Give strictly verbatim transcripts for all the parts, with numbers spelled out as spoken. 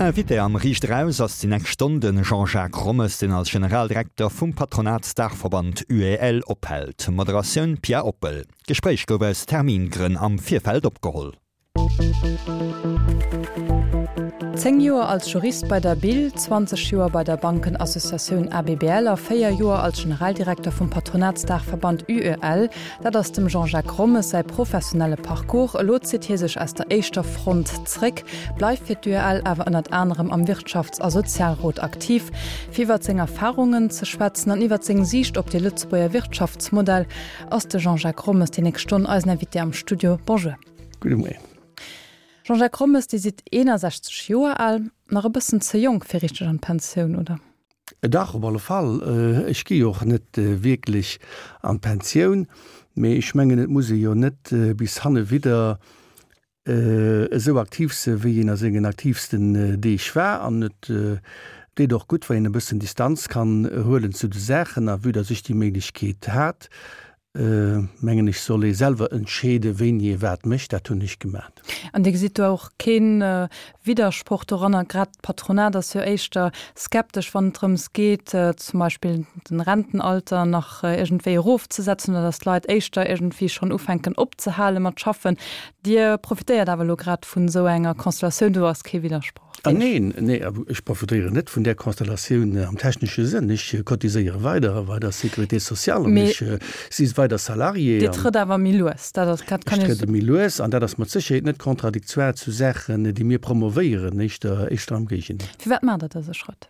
Invité am Riicht Eraus ass déi nächst Stonn de Jean-Jacques Rommes, deen als Generaldirekter vum Patronatsdaachverband UEL ophält. Moderatioun, Pia Oppel. D'Gespréich gouf aus Termingrënn am Virfeld opgeholl. Zéng Joer als Jurist bei der BIL, zwanzeg Joer bei der Bankenassociatioun ABBL a véier Joer als Generaldirekter vum Patronatsdaachverband UEL, dat ass dem Jean-Jacques Rommes säi professionelle Parcours. Elo zitt hie sech aus der éischter Front zréck, bleift fir d'UEL awer ënnert anerem am Wirtschafts a Sozialrot aktiv. Fir iwwert seng Erfarungen ze schwätzen an iwwert seng Siicht op de Lëtzebuerger Wirtschaftsmodell ass de Jean-Jacques Rommes déi nächst Stonn eisen Invité am Studio. Bonjour. Gudde Moien. Jean-Jacques Rommes, Dir sidd eenasechzeg Joer al, nach e bëssen ze jonk fir richteg an d'Pensioun, oder? Dach, op alle Fall. Ech gi jo och net wierklech an d'Pensioun, mee ech mengen, et muss ee jo net bis hannewidder esou aktiv se wéi een a sengen aktiivsten Deeg war. An et deet och gutt, wann een e bëssen Distanz kann huelen zu de Saachen. A vue dass ech déi Méiglechkeet hat, mengen ech, soll ee selwer entscheede wéini ee wat mécht. Dat hunn ech gemat. An Dir gesitt do och kee Widdersproch doranner? Grad d'Patronat ass jo éischter skeptesch, wann et drëms geet, zum Beispill den Rentenalter nach iergendwéi erofzesetzen oder datt d'Leit éischter iergendwéi schonn ufänken opzehale mat schaffen. Dir profitéiert awer elo grad vun esou enger Konstellatioun, do ass kee Widdersproch. Ah neen, nee, ech profitéieren net vun där Konstellatioun am technesche Sënn. Ech cotiséiere weider bei der Sécurité sociale an ech si weider Salarié. Dir trëtt awer méi lues, dat ass, dat kann Ech trëde méi lues an dat ass mat Sécherheet net contradictoire zu Saachen, déi mir promovéieren, éischter, éischter am Géigendeel. Firwat maacht Der dëse Schrëtt?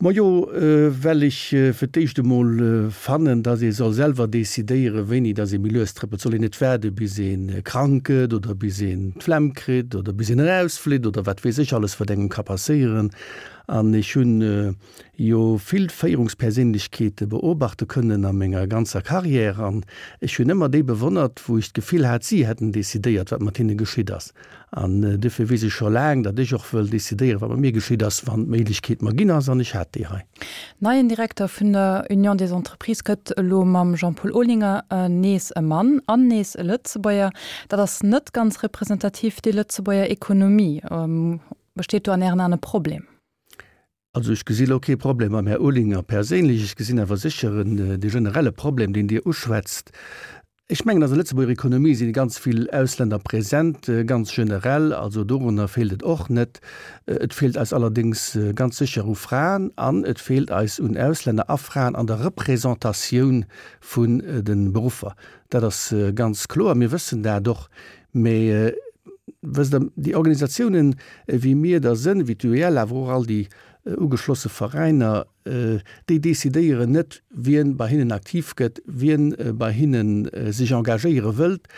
Majo, well ech fir d'éischt emol fannen, datt ee soll selwer decidéieren, wéini datt ee méi lues trëppelt. Et soll een net waarde bis ee krank gëtt oder bis een d'Flemm kritt oder bis een erausflitt oder wat weess ech alles, wat engem ka passéieren. An ech hunn jo vill Féierungsperséinlechkeete beobachte kënnen a menger ganzer Carrière an ech hunn ëmmer déi bewonnert, wou ech d'Gefill hat, si hätten decidéiert, wat mat hinne geschitt ass. An duerfir weess ech scho laang, datt ech och wëll decidéieren, wat mat mir geschitt ass, wann d'Méiglechkeet mer ginn ass, an ech hat déi hei. Neien Direkter vun der Union des Entreprises gëtt elo mam Jean-Paul Olinger nees e Mann an nees e Lëtzebuerger. Dat ass net ganz representativ fir déi Lëtzebuerger Ekonomie. Besteet do an Ären Aen e Problem? Also ech gesi lo kee Problem mam Här Olinger perséinlech. Ech gesinn awer sécher en, dee generelle Problem, deen Dir uschwätzt. Ech mengen, an der Lëtzebuerger Ekonomie si ganz vill Ausländer present, ganz generell. Also dorunner feelt et och net. Et feelt eis allerdéngs ganz sécher u Fraen an et feelt eis un Ausländer a Fraen an der Représentatioun vun de Beruffer. Dat ass ganz kloer. Mir wëssen dat och. Mä wësst Der, déi Organisatiounen, wéi mir der sënn, wéi d'UEL, awer och all déi ugeschlosse Veräiner, déi decidéieren net, wien bei hinnen aktiv gëtt, wien bei hinne sech engagéiere wëllt.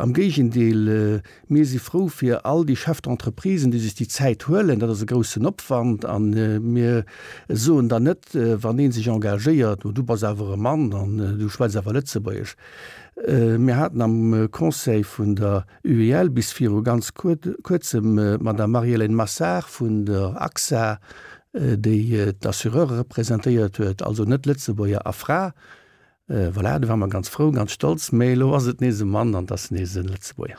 Am Géigendeel, mir si frou fir all déi Chefs d'entreprisen, déi sech déi Zäit huelen. Dat ass e groussen Opwand a mir soen dann net, wann ee sech engagéiert, Oh, du bass awer e Mann an du schwätz awer Lëtzebuergesch. Mir haten am Conseil vun der UEL bis viru ganz Kuerzem d'Madame Marie-Hélène Massard vun der AXA, déi d'Assureure representéiert huet, also net Lëtzebuerger a Fra. Voilà, do ware mer ganz frou, ganz stolz. Mä elo ass et nees e Mann an et ass nees e Lëtzebuerger.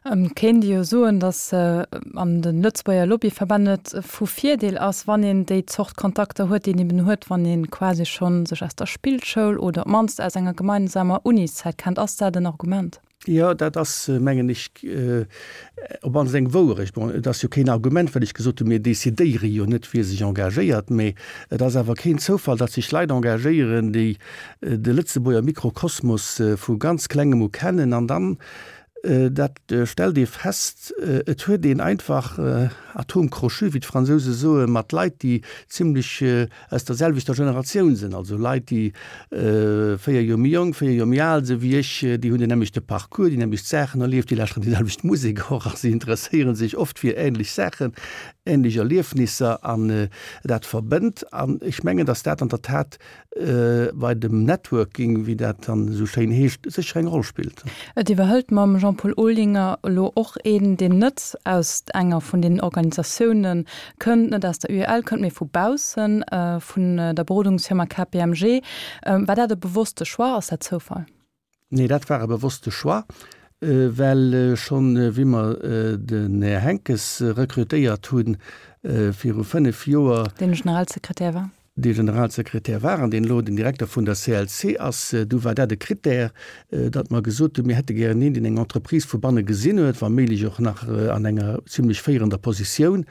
Et kéint ee jo soen, datt an de Lëtzebuerger Lobbyverbänn et vu Virdeel ass, wann een déi Zort Kontakter huet, déi een eben huet, wann ee quasi scho sech aus der Spillschoul oder op d'mannst aus enger gemeinsamer Uniszäit kennt. Ass dat en Argument? Jo, dat ass, mengen ech, op mannst eng Wouerecht. Bon, et ass jo keen Argument, well ech gesot hunn, mir decidéiere jo net, wie sech engagéiert. Mee et ass awer keen Zoufall, datt sech Leit engagéieren, déi de Lëtzebuerger Mikrokosmos vu ganz Klengem u kennen. An dann, dat stellt ee fest, et huet een einfach Atomes crochus, wéi d'Fransouse soen, mat Leit, déi zimlech aus der selwechter Generatioun sinn, also Leit, déi véier Joer méi jonk, véier Joer méi al sinn wéi ech, déi hunn den nämmlechte Parcours, déi nämmlecht Saachen erlieft, déi lauschteren déi selwecht Musek och a si interesséiere sech oft fir änlech Saachen, änlech Erliefnisser an dat verbënnt. An ech mengen, datt dat an der Tat bei dem Networking, wéi dat dann esou schéin heescht, sécher eng Roll spillt. Et iwwerhëlt mam Jean-Paul Olinger elo och een, deen net aus enger vun deenen Organisatioune kënnt, net aus der UEL kënnt, mee vu baussen, vun der Berodungsfirma K P M G. War dat e bewosste Choix? Ass dat Zoufall? Nee, dat war e bewosste Choix. well schonn wéi mer den Här Henckes rekrutéiert hunn viru fënnef Joer, Deen Generalsekretär war. Dee Generalsekretär war an deen elo den Direkter vun der C L C ass, du war dat e Krittär, datt mer gesot hunn, mir hätte gären een, deen eng Entreprise vu banne gesinn huet, wa méiglech och nach an enger zimlech féierender Positioun.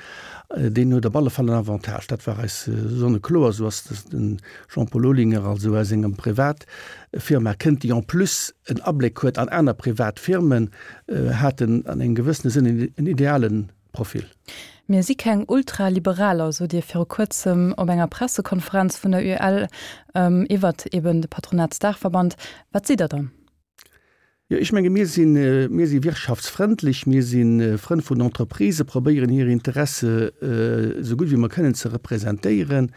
Deen huet op alle Fall en Avantage. Dat war eis sonnekloer. Esou ass de Jean-Paul Olinger also aus enger Privatfirma kënnt, déi en plus en Abléck huet an aner privat Firmen, hat en an engem gewëssene Sënn en ideale Profil. Mir si keng Ultraliberaler, sot Dir viru Kuerzem op enger Pressekonferenz vun der U E L iwwert eben de Patronatsdaachverband. Wat sidd Der dann? Jo, ech menge mir sinn, mir si wirtschaftsfrëndlech, mir si Frënn vun Entreprisë, probéieren hir Interesse esou gutt wéi mer kënnen ze representéieren.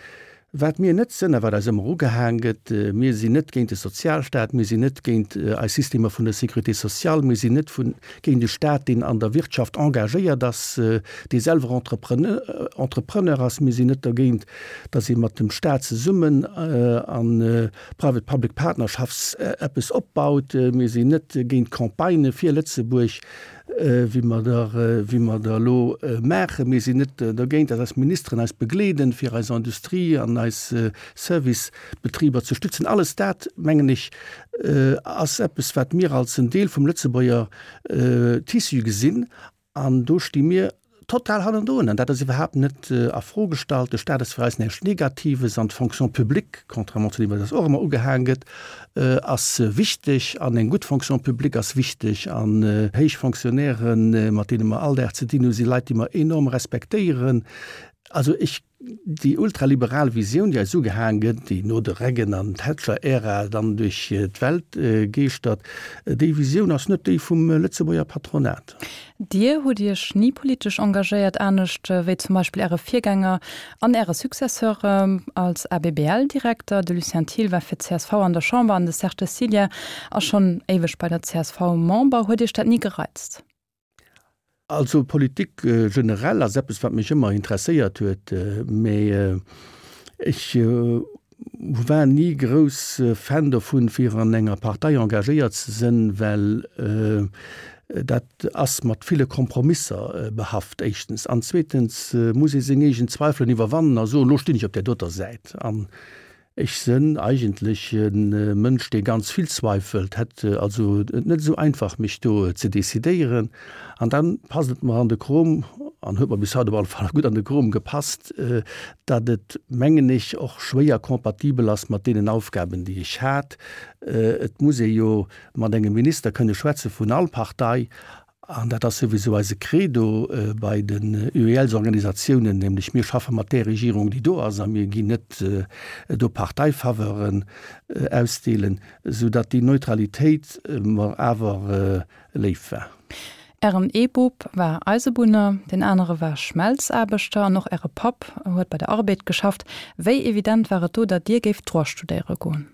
Wat mir net sënn a wat eis ëmmer ugehaang gëtt, mir sinn net géint de Sozialstaat, mir sinn net géint eis Systemer vun der Sécurité sociale, mir sinn net vun, géint e Staat, deen an der Wirtschaft engagéiert ass, dee selwer Entrepreneur, Entrepreneur ass, mir sinn net dergéint, datt ee mat dem Staat zesummen a Private-Public Partnerschafts eppes opbaut, mir sinn net géint Campagnë fir Lëtzebuerg, wéi mer der, wéi mer der elo maachen. Mir sinn net dergéint, datt eis Ministeren eis begleeden, fir eis Industrie an eis Servicebetriber ze stützen. Alles dat, mengen ech, ass eppes, wat mir als en Deel vum Lëtzebuerger Tissu gesinn. An do sti mir total hannendrun. An dat ass iwwerhaapt net a Fro gestallt. De Staat ass fir eis näischt Negatives an d'Fonction publique, contrairement zu deem, wat eis och ëmmer ugehaang gëtt, ass wichteg an eng gutt Fonction publique ass wichteg. An héich Fonctionnairen, mat deene mer all Dag ze dinn hunn, si Leit, déi mer enorm respektéieren. Also ech, déi ultraliberal Visioun, déi eis ugehaang gëtt, déi no de Reagan an Thatcher-Ära dann duerch d'Welt geeschtert, déi Visioun ass net déi vum Lëtzebuerger Patronat. Dir hutt Iech ni politesch engagéiert, anescht wéi zum Beispill Äre Virgänger an Äre Successeur als A B B L-Direkter. De Lucien Thiel war fir d'C S V an der Chamber an de Serge Cecilia ass schonn éiweg bei der C S V Member. Huet Iech dat ni gereizt? Also Politik generell ass eppes, wat mech ëmmer interesséiert huet, mee ech war ni grouss Fan dovun, fir an enger Partei engagéiert ze sinn, well dat ass mat ville Kompromisser behaft, éischtens. An zweetens muss ee seng eegen Zweifelen iwwerwannen a soen, lo stinn ech op der doter Säit. An ech sinn eigentlech e Mënsch, dee ganz vill zweifelt, hätt also et net esou einfach, mech do ze decidéieren. An dann passt et mer an de Krom, an huet mer bis haut op alle Fall gutt an de Krom gepasst, datt et, mengen ech, och schwéier kompatibel ass mat deenen Aufgaben, déi ech hat. Et muss ee jo mat engem Minister kënne schwätze vun all Partei, an dat ass souwisou eise Credo bei den U E L-Organisatiounen, nämlech mir schaffe mat der Regierung, déi do ass, a mir ginn net do Parteifaveuren ausdeelen, soudatt déi Neutralitéit mer awer léif war. Ären E-Bub war Eisebunner, den anere war Schmelzaarbechter an och Äre Papp huet bei der Arbed geschafft. Wéi evident war et do, datt Dir géift Droit studéiere goen?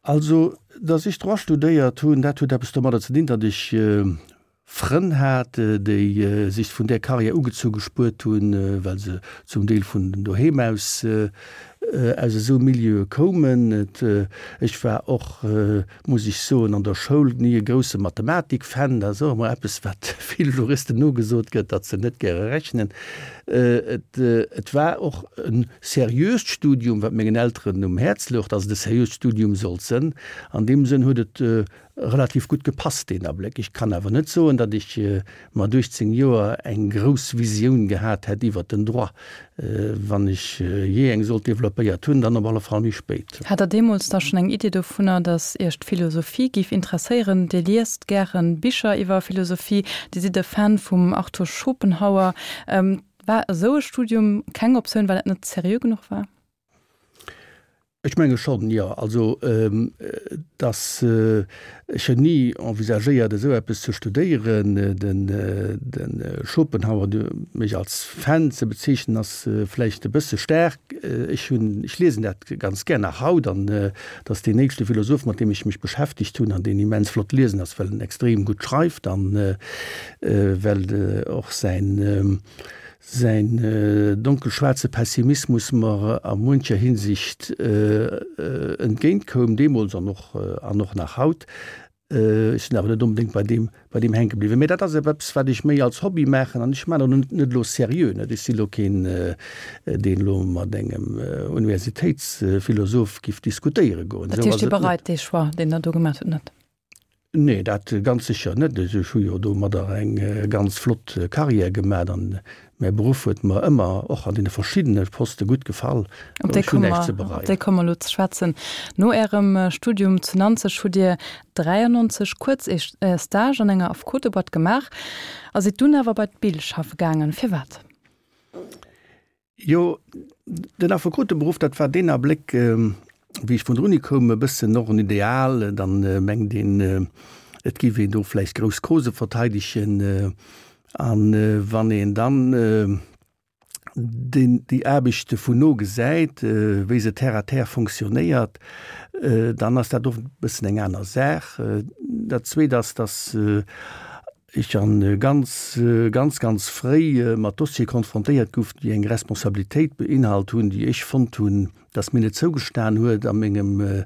Also, datt ech Droit studéiert hunn, dat huet eppes domadder ze dinn, datt ech Frënn hat, déi sech vun der Karriär ugezu gespuert hunn, well se zum Deel vun doheem aus, aus esou Milieu koumen. Et, ech war och, muss ech soen, an der Schoul nie e grousse Mathematik-Fan. Dat ass och ëmmer eppes, wat vill Juristen nogesot gëtt, datt se net gäre rechnen. Et, et war och en seriöst Studium, wat mengen Elteren um Häerz louch, datt et e seriöst Studium sollt sinn. An deem Sënn huet et relativ gutt gepasst, deen Abléck. Ech kann awer net soen, datt ech mat uechtzéng Joer eng grouss Visioun gehat hätt iwwer den Droit. Wann ech je eng sollt developpéiert hunn, dann op alle Fall méi spéit. Hat der deemools da schonn eng Idee dovunner, datt Iech d'Philosophie géif interesséieren? Dir liest gären Bicher iwwer Philosophie, Dir sidd e Fan vum Arthur Schopenhauer. War esou e Studium keng Optioun, well et net seriö genuch war? Ech menge schonn, jo. Also, datt ech hunn ni envisagéiert, esou eppes ze studéieren. Den, den Schopenhauer, mech als Fan ze bezeechnen, ass vläicht e bësse staark. Ech hunn, ech liesen dat ganz gär nach haut, an dat ass deen nächste Philosoph, mat deem ech mech beschäftegt hunn, an deen immens flott liesen ass, well en extrem gutt schreift an well och säin, säin donkelschwaarze Pessimismus mer a muncher Hinsicht entgéintkoum, deemools an och, an och nach haut. Ech sinn awer net onbedéngt bei deem, bei deem hänke bliwwen. Mee dat ass eppes, wat ech méi als Hobby maachen an ech maachen dat net elo seriö, net. Ech si lo keen, deen elo mat engem Universitéitsphilosoph giff diskutéiere goen. Dat heescht, Dir bereit dee Choix, deen Der do gemaach hutt, net? Nee, dat ganz sécher net. Ech hu jo domadder eng ganz flott Carrière gemat an mäi Beruff huet mer ëmmer, och an deene verschiddene Poste gutt gefall. Op déi komme mer, op déi komme mer elo ze schwätzen. No Ärem Studium zu Nanzeg hutt Dir dräiannonzeg kuerz ee Stage an enger Affekoteboîte gemaach a sidd dunn awer bei d'Bill schaffe gaangen. Firwat? Jo, den Affekoteberuff, dat war deen Abléck, wéi ech vun der Uni koum, e bëssen och en Ideal. Dann mengt een, et géif een do vläicht grouss Causen verteidegen. A wann een dann deen, déi Aarbecht vun no gesäit, wéi se terre à terre fonctionnéiert, dann ass dat och e bëssen eng aner Saach. Dat Zweet ass, dass ech an ganz, ganz, ganz fréi mat Dossiere konfrontéiert gouf, déi eng Responsabilitéit beinhalt hunn, déi ech fonnt hunn, dass mir net zougestan huet a mengem,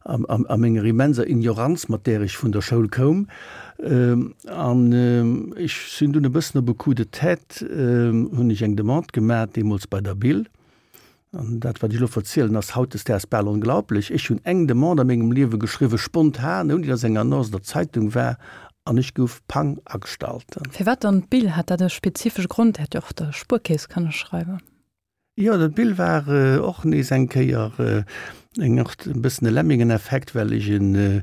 a menger immenser Ignoranz, mat där ech vun der Schoul koum. An ech sinn dunn e bëssen op e Coup de tête, hunn ech eng Demande gemaach, deemools bei der Bill, An dat, wat ech elo verzielen, ass hautdesdaags bal onglaublech, Ech hunn eng Demande a mengem Liewe geschriwwen, spontan, ouni datt eng Annonce an der Zeitung war, an ech gouf pang agestallt. Firwat dann d'Bill? Hat dat e spezifesche Grond? Dir hätt jo och der Spuerkeess kënne schreiwen. Jo, dat Bill war och nees eng Kéier eng Art e bëssen e Lemmingeneffekt, well ech e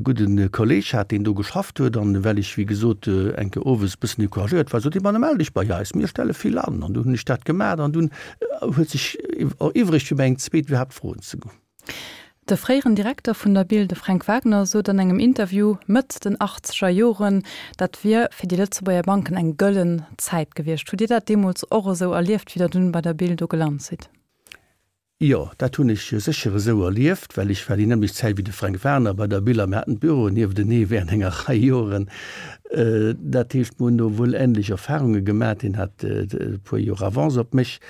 gudde Kolleg hat, deen do geschafft huet, an well ech, wéi gesot, eng Kéier owes e bëssen decouragéiert war, sot hie, Ma da mell dech bei eis, mir stelle vill an. An du hunn ech dat gemaach an dunn huet sech eriwwregt, fir mir eng zweet iwwerhaapt froen ze goen. De fréieren Direkter vun der Bild, de Fränk Wagner, sot an engem Interview Mëtt den achtzeger Joren, dat wier fir déi Lëtzebuerger Banken eng gëllen Zäit gewiescht. Hutt Dir dat deemools och esou erlieft, wéi Der dunn bei der Bild do gelant sidd? Jo, dat hunn ech sécher esou erlieft, well ech war déi nämmlecht Zäit wéi de Fränk Wagner bei der Bild a mir haten d'Büroen nieftenee während enger Rei Joren. Dat heescht, mir hunn do wuel änlech Erfahrunge gemaach. Hien hat e puer Joer Avance op mech.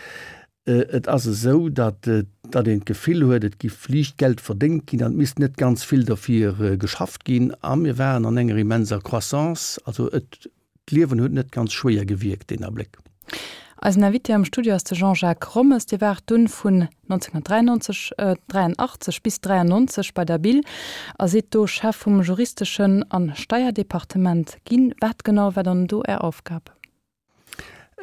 Et ass esou, datt datt een d'Gefill huet, et giff liicht Geld verdéngt ginn an et misst net ganz vill derfir geschafft ginn. A mir waren an enger immenser Croissance. Also et, d'Liewen huet net ganz schwéier gewierkt deen Abléck. Eisen Invité am Studio ass de Jean-Jacques Rommes. Dir waart dunn vun nonzénhunnertdräiannonzeg, dräianachtzeg bis dräiannonzeg bei der Bill a sidd do Chef vum juristeschen an Steierdepartement ginn. Wat genau war dann do Är Aufgab?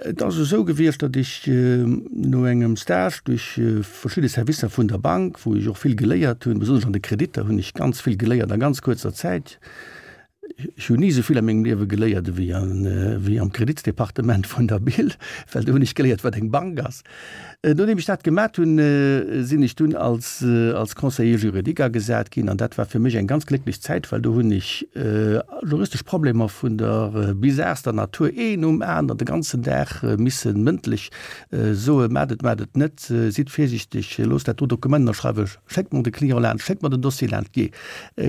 Et ass esou gewiescht, datt ech no engem Stage duerch verschidde Servicer vun der Bank, wou ech och vill geléiert hunn, besonnesch an de Kreditter hunn ech ganz vill geléiert a ganz kuerzer Zäit, ech hunn ni esou vill a mengem Liewe geléiert ewéi ewéi am Kreditsdepartement vun der Bill, well do hunn ech geléiert, wat eng Bank ass. Nodeem ech dat gemat hunn, sinn ech dunn als als Conseiller juridique agesat ginn an dat war fir mech eng ganz glécklech Zäit, well do hunn ech juristesch Problemer vun der bizarster Natur een nom aneren de ganzen Dag misse mëndlech soen, Maacht et, maacht et net, sidd virsiichteg, loosst dat do Dokument ënnerschreiwen, schéckt mer de Client laanscht, schéckt mer den Dossier laanscht, jee,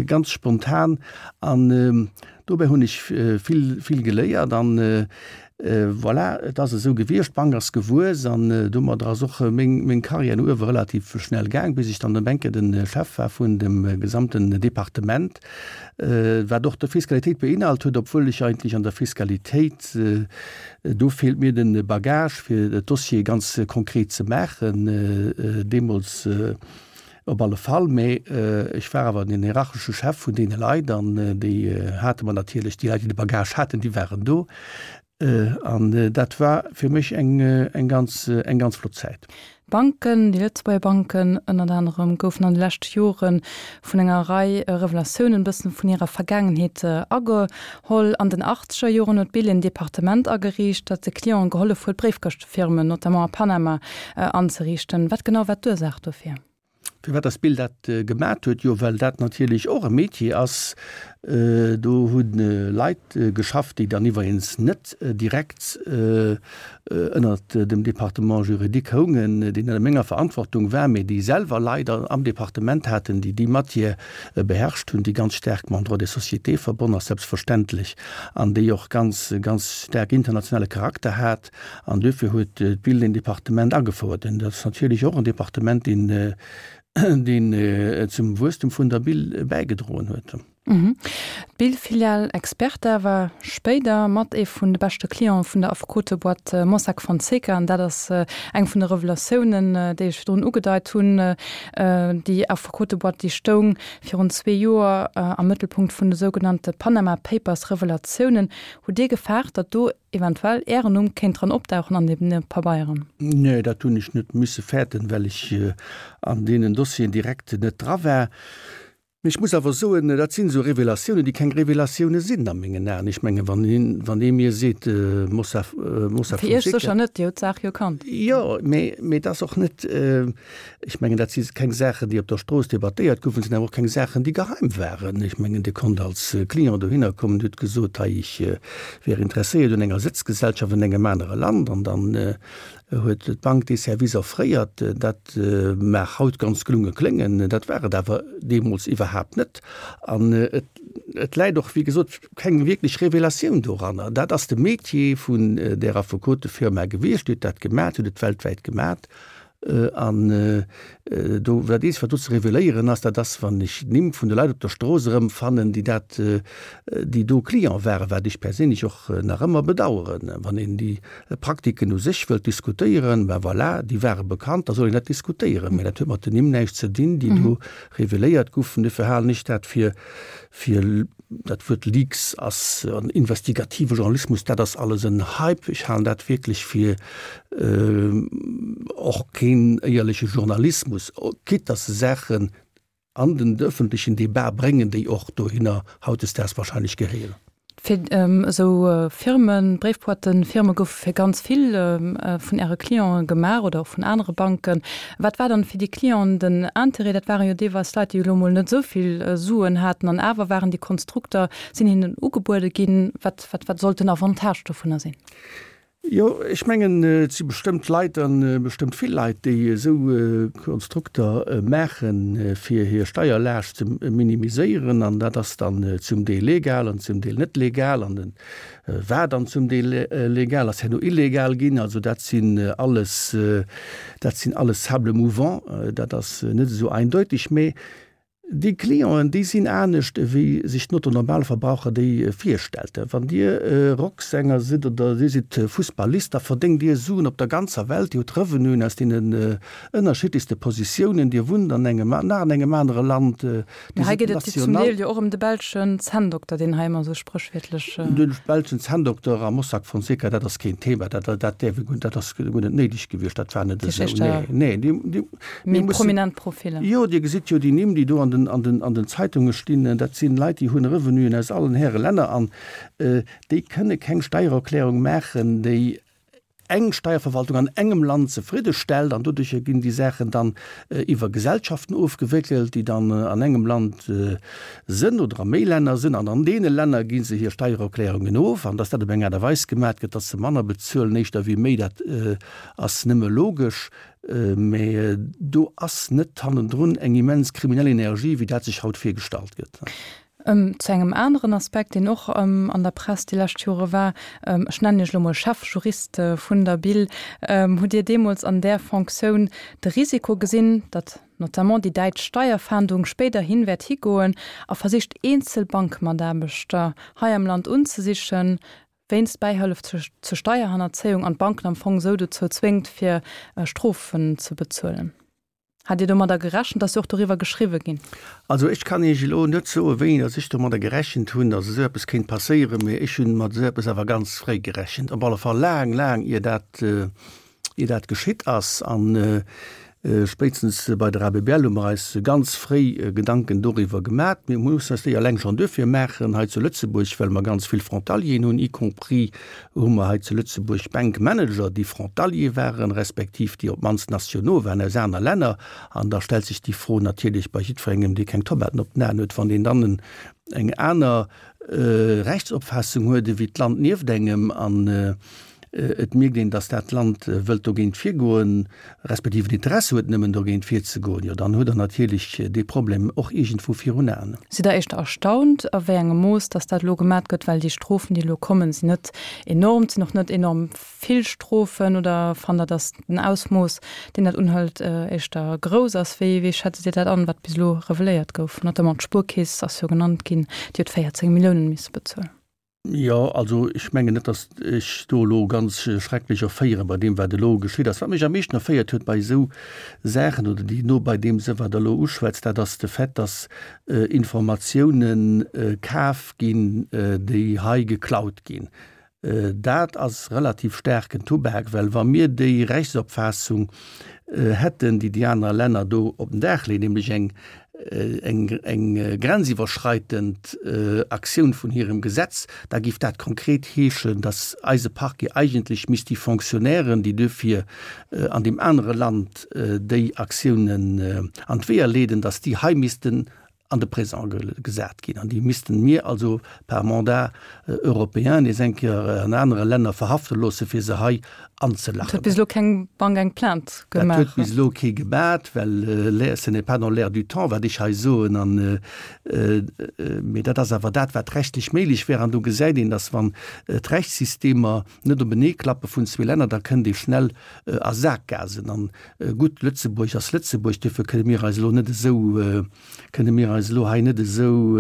ganz spontan. An dobäi hunn ech vill, vill geléiert an voilà, et ass esou gewiescht, d'Bank ass gewuess an domadder ass och meng, meng Carrière no uewe relativ schnell gaang, bis ech dann op eng Kéier de Chef war vun dem gesamten Departement, wat och d'Fiskalitéit beinhalt huet, obwuel ech eigentlech an der Fiskalitéit, do feelt mir de Bagage, fir d'Dossiere ganz konkret ze maachen, deemools op alle Fall. Mä ech war awer den hierarchesche Chef vun deene Leit an déi hate mer natierlech, déi Leit, déi de Bagage haten, déi waren do. An dat war fir mech eng, eng ganz, eng ganz flott Zäit. D'Banken, déi Lëtzebuerger Banken ënnert anerem, goufen an de leschte Jore vun enger Rei Revelatiounen e bëssen vun hirer Vergaangenheet ageholl. An den achtzeger Joren huet d'Bill en Departement ageriicht, dat de Clienten gehollef huet, Bréifkëschtefirmen, notamment a Panama, anzeriichten. Wat genau war d'Ursaach dofir? Firwat dass d'Bill dat gemat huet? Jo, well dat natierlech och e Métier ass. Do hu Leit geschafft, déi dann iwweregens net direkt ënnert dem Département juridique houngen, deen ënner menger Verantwortung war, mee déi selwer Leit am Departement haten, déi déi Matière beherrscht hunn, déi ganz staark mam Droit des sociétés verbonn ass, selbstverständlech, an déi och ganz, ganz staark internationale Charakter hat. An duerfir huet d'Bill deen Departement agefouert. An dat ass natierlech och en Departement, deen, deen zum Wuesstum vun der Bill bäigedroen huet. D'Bill-Filial Experta war spéider mat ee vun de beschte Cliente vun der Affekoteboîte Mossack Fonseca an dat ass eng vun de Revelatiounen, déi ech virdrun ugedeit hunn. Déi Affekoteboîte, déi stoung virun zwee Joer am Mëttelpunkt vun de sougenannte Panama Papers Revelatiounen. Hutt Dir gefaart, datt do eventuell Ären Numm kéint dran opdauchen an deene Pabeieren? Nee, dat hunn ech net misse fäerten, well ech an deenen Dossieren direkt net dra war. Mee ech muss awer soen, dat sinn esou Revelatiounen, déi keng Revelatioune sinn a mengen Aen. Ech mengen, wann een, wann ee mir seet, Mossack, Mossack Fir Iech sécher net, Dir hutt d'Saach jo kannt. Jo, mee, mee et ass och net, ech mengen, dat si keng Saachen, déi op der Strooss debattéiert goufen, sinn awer och keng Saachen, déi geheim waren. Ech mengen, Dir konnt als Client dohinner kommen, hutt gesot, hei, ech wär interesséiert un enger Sëtzgesellschaft an engem anere Land, an dann huet d'Bank dee Service offréiert. Dat mag haut ganz gelunge kléngen, dat war et awer deemools iwwerhaapt net. An et läit och, wéi gesot, keng wierklech Revelatioun doranner. Dat ass de Metier vun där Affekotefirma gewiescht, déi huet dat gemat, huet et weltwäit gemat. An do, dat eenzegt, wat do ze reveléieren ass, dat ass, wann ech d'Nimm vun de Leit op der Strooss erëmfannen, déi dat, déi do Client waren, wat ech perséinlech och nach ëmmer bedauern. Wann een déi Praktiken u sech wëllt diskutéieren, ben voilà, déi ware bekannt, da soll een dat diskutéieren. Mä dat huet mat den Nimm näischt ze dinn, déi do reveléiert goufen. Dofir halen ech dat fir, fir dat Wuert Leaks ass an investigative Journalismus, dat ass alles en Hype. Ech halen dat wierklech fir och keen éierleche Journalismus, quitte dass se Saachen an den öffentlechen Debat bréngen, déi och dohinner hautdesdaags wahrscheinlech gehéieren. Fir esou Firmen, Bréifboîten-Firme goufe fir ganz vill vun Äre Clienten gemaach oder och vun anere Banken. Wat war dann fir déi Clienten den Interêt? Dat ware jo deelweis Leit, déi elo mol net esou vill Suen haten an awer waren déi Konstrukter, sinn hinnen ugebuede ginn. Wat, wat, wat sollt den Avantage dovunner sinn? Jo, ech mengen, et si bestëmmt Leit, a bestëmmt vill Leit, déi esou Konstrukter maachen, fir hir Steierlaascht ze minimiséieren. An dat ass dann zum Deel legal an zum Deel net legal. An et war dann zum Deel legal, ass herno illegal ginn. Also dat sinn alles, dat sinn alles Sables mouvants. Dat ass net esou eindeutig. Mee Déi Clienten, déi sinn anescht ewéi sech den Otto-Normalverbraucher déi virstellt. Wann Dir Rocksänger sidd oder Dir sidd Fussballist, da verdéngt Dir Suen op der ganzer Welt, Dir hutt Revenuen aus deenen ënnerschiddlechste Positiounen, Dir wunnt an engem, nach an engem anere Land, Dir Mee hei sidd geet et jo zum national. Deel jo och ëm de belschen Zänndokter, deen hei ëmmer esou spréchwiertlech. De belschen Zänndokter a Mossack Fonseca, dat ass keen Thema, dat, dat däerf ee guer, dat ass guer net néideg gewiescht, dat war net esou. Nee, nee, déi, déi, mir Méi mussen. prominent Profiller. Jo, Dir gesitt jo déi Nimm, déi do an den, an den, an den Zeitunge stinn, dat sinn Leit, déi hunn Revenuen aus allen Häre Länner an déi kënne keng Steiererklärung maachen, déi eng Steierverwaltung an engem Land zefridde stellt. An doduercher ginn déi Saachen dann iwwer Gesellschaften ofgewéckelt, déi dann an engem Land sënn oder a méi Länner sënn. An an deene Länner gi se hir Steiererklärungen of. An dass dat op eng Aart a Weis gemat gëtt, dass se manner bezuelen éischter wéi méi, dat ass nëmme logesch. Mä do ass net hannendrun eng immens kriminell Energie, wéi dat sech haut virgestallt gëtt. Zu engem aneren Aspekt, deen och an der Press déi lescht Jore war, ech nennen Iech elo mol Chefjurist vun der Bil, Hutt Dir deemools an där Fonctioun de Risiko gesinn, datt notamment déi däitsch Steierfahndung spéiderhin wäert higoen a versicht eenzel Bankmataarbechter hei am Land unzesichen, wéinst Bäihëllef zur Steierhannerzéiung an d'Banken am Fong esou dozou zwéngt, fir Strofen ze bezuelen. Hat Dir domadder gerechent? Et ass jo och doriwwer geschriwwe ginn. Also ech kann Iech elo net soen, wéini datt ech domadder gerechent hunn, datt esou eppes kéint passéieren, mee ech hunn mat esou eppes awer ganz fréi gerechent, op alle Fall laang, laang ier dat, ier dat geschitt ass. An Spéitstens bei der ABBL hu mer eis ganz fréi Gedanken doriwwer gemat. Mir mussen eis déi eleng schonn duerfir maachen hei zu Lëtzebuerg, well mer ganz vill Frontalieren hunn, y compris hu mer hei zu Lëtzebuerg Bankmanager, déi Frontalier waren, respektiv déi op d'mannst Nationaux waren aus aner Länner. An da stellt sech déi Fro natierlech bei jiddwerengem, dee keng Tomaten op den Aen huet, wann deen dann eng aner Rechtsopfaassung huet ewéi d'Land nieft engem an et mierkt een, datt dat Land wëllt dogéint virgoen, respektiv en Interesse huet nëmmen dogéint virzegoen, jo dann hutt Der natierlech dee Problem och iergendwou virun Aen. Sidd Der éischter erstaunt, a wéi engem Mooss datt dat elo gemat gëtt, well déi Strofen, déi elo kommen, sinn net enorm, et sinn och net enorm vill Strofen, oder fannt Der, datt den Ausmooss, deen dat unhëlt, éischter grouss ass? Wéi, wéi schätzt Dir dat an, wat bis elo reveléiert gouf? Notamment d'Spuerkeess ass jo genannt ginn, déi huet véierzéng Milliounen misse bezuelen. Jo, also ech mengen net, datt ech do elo ganz schrecklech erféiere bei deem, wat elo geschitt ass. Wat mech am meeschten erféiert huet bei esou Saachen oder déi no bei deem sinn, wat Der elo uschwätzt, dat ass de Fait, datt Informatiounen kaf ginn, déi hei geklaut ginn. Dat ass relativ staarken Tubak, well wa mir déi Rechtsopfaassung hätten, déi déi aner Länner do op den Dag leeën, nämlech eng, eng, eng grenziwwerschreitend Aktioun vun hirem Gesetz, da géif dat konkret heeschen, dass eise Parquet eigentlech misst déi Fonctionnairen, déi duerfir an deem anere Land déi Aktiounen an d'Weeër leeden, dass déi hei missten an de Présent gesat ginn an déi missten mir also par mandat européen nees eng Kéier an anere Länner verhafte loosse fir se hei anzelachen. Et huet bis elo keng Bank eng Plainte gemaach. Dat huet bis elo kee gemat, well ce n'est pas dans l'air du temps, wat ech hei soen an, mee dat ass awer dat, wat rechtlech méiglech wär. An do gesäit een, dass wann d'Rechtssystemer net openee klappe vun zwee Länner, da kënnt ee schnell a Sakgasen. An gutt, Lëtzebuerg ass Lëtzebuerg, duerfir kënne mir eis elo net esou, kënne mir eis elo hei net esou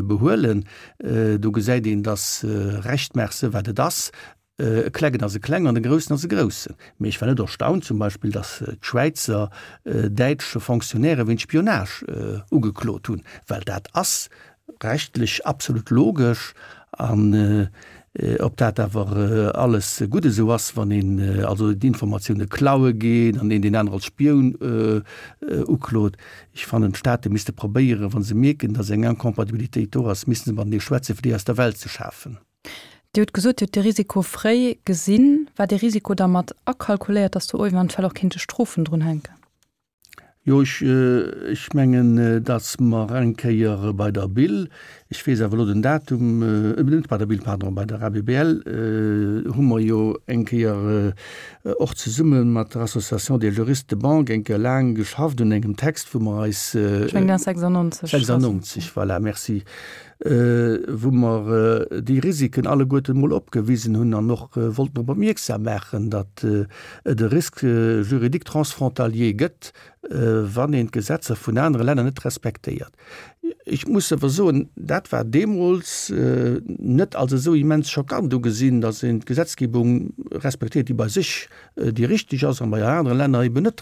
behuelen. Do gesäit een, dass Recht maach se wat et ass. E Klengen ass e Klengen an e Groussen ass e Groussen. Mee ech war net erstaunt zum Beispill, dass d'Schwäizer däitsch Fonctionnairë wéint Spionage ugeklot hunn, well dat ass rechtlech absolut logesch. An ob dat awer alles gutt esou ass, wann een also d'Informatioune klaue geet an een deen anere als Spioun uklot. Ech fannen, d'Staate misste probéieren, wa se mierken, datt eng Incompatibilitéit do ass, misste se matenee schwätzen, fir déi aus der Welt ze schafen. Dir hutt gesot, Dir hutt de Risiko fréi gesinn. War dee Risiko da mat akalkuléiert, datt do eventuell och kéinte Strofen drunhänken? Jo, ech, ech mengen, datt mer eng Kéier bei der Bil, ech weess awer elo den Datum, net bei der Bil, pardon, bei der A B B L hu mer jo eng Kéier och zesumme mat der Association des juristes de banque eng Kéier laang geschafft un engem Text, wou mer eis. Ech mengen, dat ass sechsundneunzeg. sechsundneunzeg, voilà, merci. Wou mer déi Risiken alleguerten emol opgewisen hunn an och wollten drop opmierksam maachen, datt et e Risque juridique transfrontalier gëtt, wann een d'Gesetzer vun anere Länner net respektéiert. Ech muss awer soen, dat war deemools net als esou immens schockant ugesinn, datt een d'Gesetzgebung respektéiert, déi bei sech déi richteg ass an bei anere Länner eben net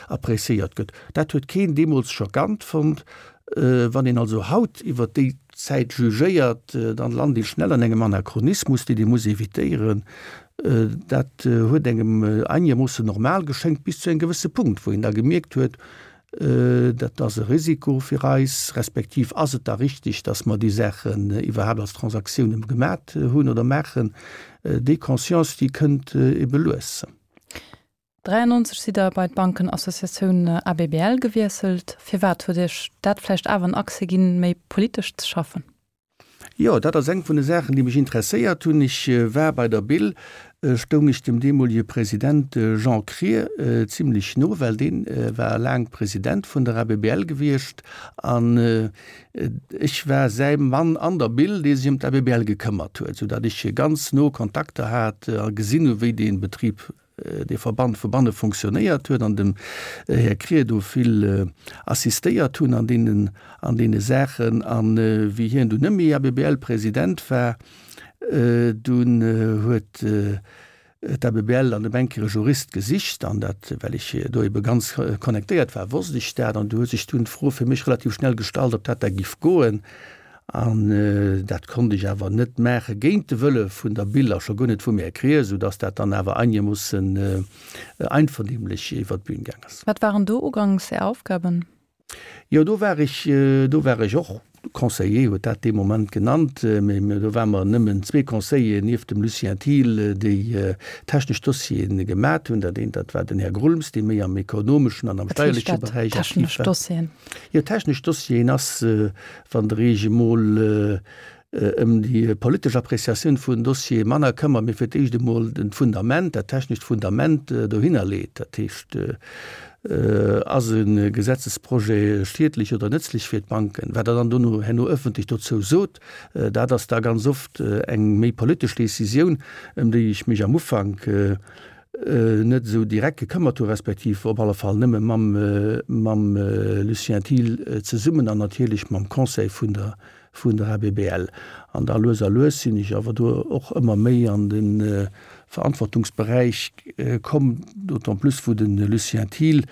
appréciéiert gëtt. Dat huet keen deemools schockant fonnt. Wann een also haut iwwert déi Zäit jugéiert, dann lant ee schnell an engem Anachronismus, deen ee muss évitéieren. Dat huet engem einegermoossen normal geschéngt bis zu engem gewësse Punkt, wou een da gemierkt huet, dat ass e Risiko fir eis, respektiv ass et da richtig, dass mer déi Saachen iwwerhaapt als Transaktiounen gemat hunn oder maachen. Déi Conscience, déi kënnt ebe lues. dräiundneunzeg sidd Der bei d'Bankenassociatioun A B B L gewiesselt. Firwat? Huet Iech dat vläicht awer en Accès ginn, méi politesch ze schaffen? Jo, dat ass eng vun de Saachen, déi mech interesséiert hunn. Ech war bei der Bil, stoung ech dem deemolege President Jean Krier zimlech no, well dee war laang President vun der A B B L gewiescht an ech war säi Mann an der Bil, dee sech ëm d'A B B L gekëmmert huet, soudatt ech ganz no Kontakter hat a gesinn hu wéi dee Betrib, dee Verband vu banne fonctionnéiert huet an dem Här Krier do vill assistéiert hunn an deenen, an deene Saachen. A wéi hien dunn net méi A B B L-President war, dunn huet d'A B B L an dem eng Kéier e Jurist gesicht an dat, well ech do ebe ganz connectéiert war, wosst ech dat. An du huet sech dunn d'Fro fir mech relativ schnell gestallt, ob dat da giff goen. An dat konnt ech awer net maache géint de Wëlle vun der Bil a scho guer net vum Här Krier, soudass dat dann awer einegermoossen einvernehmlech iwwert d'Bün gaang ass. Wat waren do uganks Är Aufgaben? Jo, do war ech, do war ech och Conseiller, huet dat dee Moment genannt, mee do ware mer nëmmen zwee Conseilleren nieft dem Lucien Thiel, déi technesch Dossiere gemat hunn. Dat eent, dat war den Här Grulms, dee méi am ekonomeschen an am Wat heescht steierleche dat, Beräich aktiv technesch war. Dossieren? Jo, technesch Dossieren ass, wann Der Iech emol ëm déi politesch Appréciatioun vun Dossiere manner këmmert, mee fir d'éischt emol den Fundament, dat technescht Fundament dohinner leet. Dat heescht, ass e Gesetzesprojet schiedlech oder nëtzlech fir d'Banken? Wat Der dann dono herno ëffentlech dozou sot, dat ass da ganz oft eng méi politesch Décisioun, ëm déi ech mech am Ufank net esou direkt gekëmmert hu respektiv op alle Fall nëmme mam mam Lucien Thiel zesummen an natierlech mam Conseil vun der vun der ABBL. An da lues a lues sinn ech awer do och ëmmer méi an de Verantwortungsberäich komm, d'autant plus wou de Lucien Thiel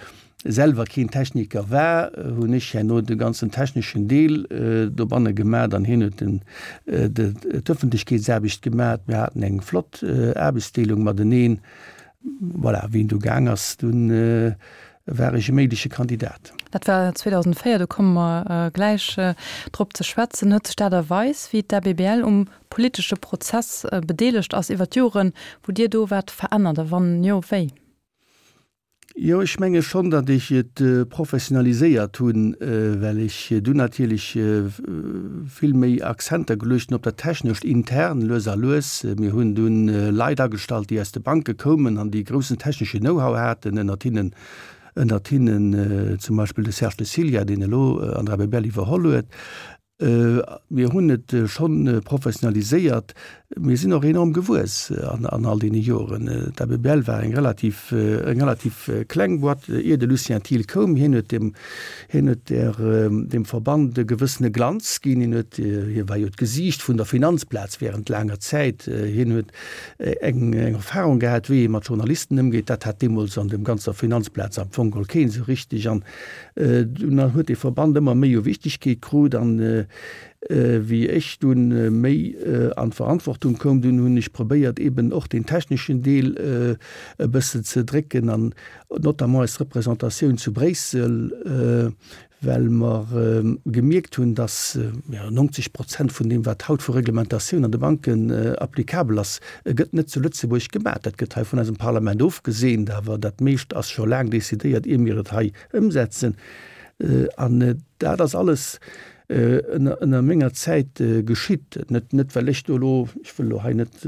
selwer keen Techniker war, hunn ech herno de ganzen techneschen Deel dobanne gemat an hien huet den d'Ëffentlechkeetsaarbecht gemat. Mir haten eng flott Aarbechtsdeelung mateneen. Voilà, wéi en du gaang ass, dunn war ech e méigleche Kandidat. Dat war zweedausendvéier, do komme mer gläich drop ze schwätzen. Huet sech d'Aart a Weis, wéi d'ABBL um politesche Prozess bedeelegt ass iwwer d'Joren, wou Dir do waart, verännert a wann jo, wéi? Jo, ech menge schonn, datt ech et professionaliséiert hunn, well ech dunn natierlech vill méi Accenter geluecht hunn op dat Technescht intern, lues a lues. Mir hunn dunn Leit agestallt, déi aus de Banke koumen an déi groussen technesche Know-how haten, ënnert hinnen, ënnert hinnen zum Beispill de Serge de Cillia, deen elo an der ABBL iwwerholl huet. Mir hunn et schonn professionaliséiert. Mir sinn och enorm gewuess an all deene Joren. D'ABBL war eng relativ, eng relativ kleng Boîte, ier de Lucien Thiel koum. Hien huet dem, hien huet der, dem Verband e gewëssene Glanz ginn. Hien huet, hie war jo d'Gesiicht vun der Finanzplaz während laanger Zäit. Hien huet eng, eng Erfahrung gehat, wéi ee mat Journalisten ëmgeet. Dat hat deemools an dem ganzer Finanzplaz am Fong geholl keen esou richtig. An dunn huet dee Verband ëmmer méi u Wichtigkeet krut. An wéi ech dunn méi an d'Verantwortung koum, dunn hunn ech probéiert eben och deen techneschen Deel e bëssen ze drécken an notamment eis Représentatioun zu Bréissel, well mer gemierkt hunn, dass neunzeg Prozent vun deem, wat haut vu Reglementatioun an de Banken applicabel ass, gëtt net zu Lëtzebuerg gemaach. Dat gëtt hei vun eisem Parlament ofgeseent, awer dat meescht ass scho laang decidéiert, ier mir et hei ëmsetzen. An dat ass alles ënner, ënner menger Zäit geschitt. Net, net well ech do elo, ech wëll elo hei net,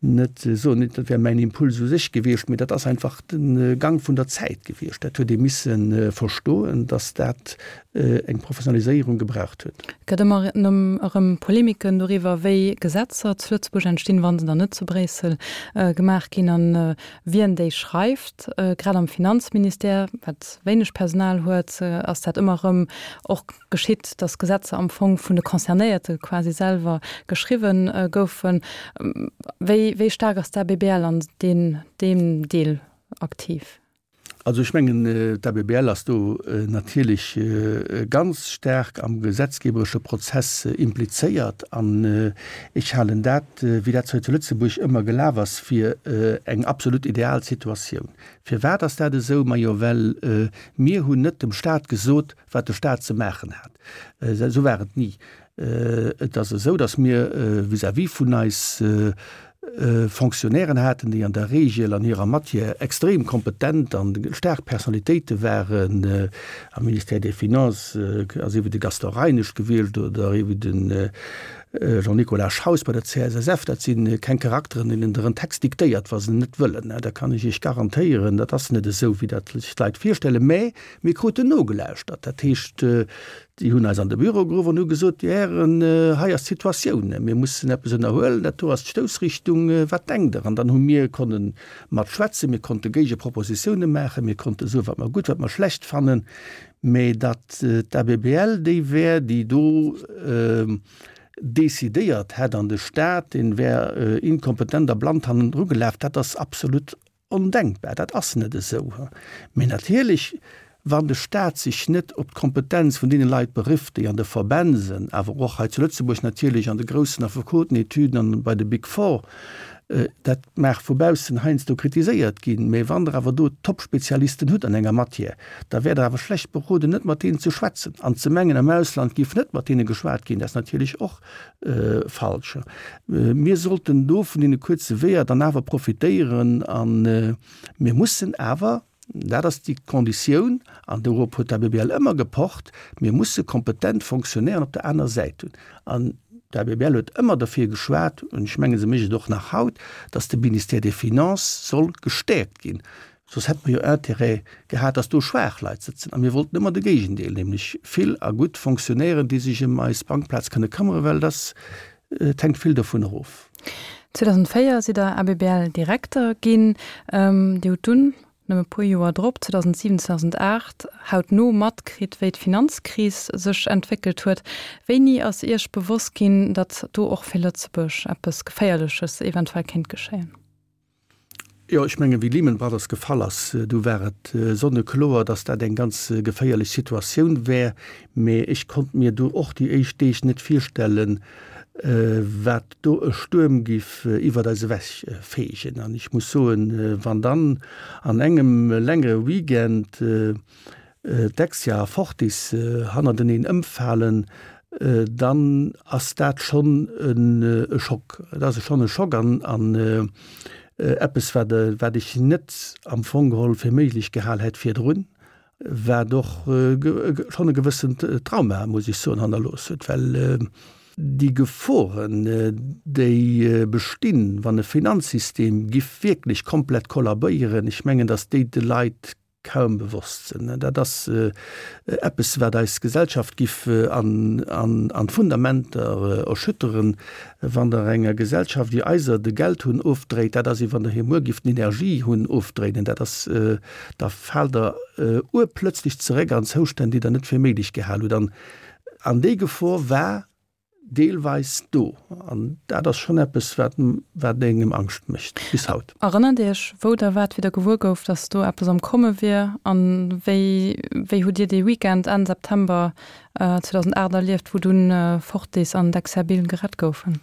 net soen, dat wär mäin Impuls u sech gewiescht, mee dat ass einfach de Gang vun der Zäit gewiescht. Dat huet ee misse verstoen, datt dat eng Professionaliséierung gebraucht huet. Et gëtt ëmmer erëm Polemiken doriwwer, wéi Gesetzer zu Lëtzebuerg entstinn, wa se dann net zu Bréissel gemaach ginn, an wien déi schreift. Grad am Finanzministère, wat wéineg Personal huet, ass dat ëmmer erëm och geschitt, datt Gesetzer am Fong vun de Concernéierte quasi selwer geschriwwen goufen. Wéi, wéi staark ass d'ABBL an deem Deel aktiv? Also ech mengen, d'ABBL ass do natierlech ganz staark am gesetzgeberesche Prozess implizéiert. An ech halen dat, wéi dat hei zu Lëtzebuerg ëmmer gelaf ass, fir eng absolut ideal Situatioun. Firwat ass dat esou? Majo, well mir hunn net dem Stat gesot, wat de Stat ze maachen hat. Esou war et ni. Et ass esou, datt mir vis-à-vis vun eis Fonctionnairen haten, déi an der Regel an hirer Matière extrem kompetent an staark Personnalitéite waren. Am Ministère des Finances ass ewéi de Gaston Reinesch gewiescht oder ewéi de Jean-Nicolas Schaus bei der C S S F. Dat si keng Charakteren, deenen Der en Text diktéiert, wa se en net wëllen. Dat kann ech Iech garantéieren. Dat ass net esou, wéi dat sech d'Leit virstellen. Mä mir kruten nogelauschtert. Dat heescht, Déi hunn eis an de Büro geruff an hu gesot, Dir Hären, hei ass d'Situatioun, mir mussen eppes ënnerhuelen, dat do ass d'Stoussrichtung, wat denkt Der? An dann hu mir konne mat schwätzen, mir konnte Géigepropositioune maachen, mir konnte soen, wat mer gutt, wat mer schlecht fannen, mä datt d'ABBL déi wär, déi do decidéiert hätt an de Stat, dee wär inkompetent a blann hannendru gelaf, dat ass absolut Ondenkbar, dat ass net esou. Mee natierlech, wann de Stat sech net op d'Kompetenz vun deene Leit berifft, déi an de Verbänn sinn, awer och hei zu Lëtzebuerg natierlech an de groussen Affekotenetüden an bei de Big Four, dat mag vu baussen heiansdo kritiséiert ginn, mee wann Der awer do Top-Spezialisten hutt an enger Matière, da wäert Der awer schlecht beroden, net mat deenen ze schwätzen. An ze mengen, am Ausland géif net mat deene geschwat ginn, dat ass natierlech och falsch. Mir sollten do vun deene kuerze Weeër dann awer profitéieren a mir mussen awer, dat ass déi Konditioun, an dorop huet d'ABBL ëmmer gepocht, mir musse kompetent Fonctionnairen op der aner Säit hunn. An D'ABBL huet ëmmer derfir geschwat, an ech menge se mécht et och nach haut, datt de Ministère des Finances soll gestäerkt ginn. Soss hätte mer jo Intérêt gehat, datt do schwaach Leit sëtzen. A mir wollten ëmmer de Géigendeel, nämlech vill a gutt Fonctionnairen, déi sech ëm eis Bankplaz kënne këmmere, well dass, et hänkt vill dovun erof. zweedausendvéier sidd Der A B B L-Direkter ginn. Dir hutt dunn, nëmme e puer Joer drop, zweedausendsiwen, zweedausendaacht, hautno matkritt, wéi d'Finanzkris sech entwéckelt huet. Wéini ass Iech bewosst ginn, datt do och fir Lëtzebuerg eppes Geféierleches eventuell kéint geschéien? Jo, ech mengen, wéi Lehman Brothers gefall ass, du war et sonnekloer, datt dat eng ganz geféierlech Situatioun wär. Mee ech konnt mir du och déi éischt Deeg net virstellen, wat do e Stuerm giff iwwert eis ewech feegen. An ech muss soen, wann dann an engem längere Weekend Dexia a Fortis hannerteneen ëmfalen, dann ass dat schonn e Schock. Et ass schonn e Schock an eppes, wat wat ech net am Fong geholl fir méiglech gehal hätt virdrun, wat och schonn e gewëssent Trauma, muss ech soen, hannerlooss huet, well déi Geforen, déi bestinn, wann e Finanzsystem giff wierklech komplett kollabéieren, ech mengen, datt déi de Leit kaum bewosst sinn. Dat ass eppes, wat eis Gesellschaft giff an d'Fundamenter erschütteren. Wann Der enger Gesellschaft wéi eiser de Geldhunn ofdréit, dat ass, wéi wann Der hir muer gifft den Energiehunn ofdréinen. Dat ass, da faalt Der urplötzlech zeréck an Zoustänn, déi Der net fir méiglech gehal hutt. An déi Gefor war deelweis do. An dat ass schonn eppes, wat, wat engem Angscht mécht, bis haut. Erënnert Dir Iech, wou Der waart, wéi Der gewuer gouft, dass do eppes am Komme wier? A wéi, wéi hutt Dir dee Weekend Enn September zweedausendacht erlieft, wou dunn Fortis an Dexia Bill gerett goufen?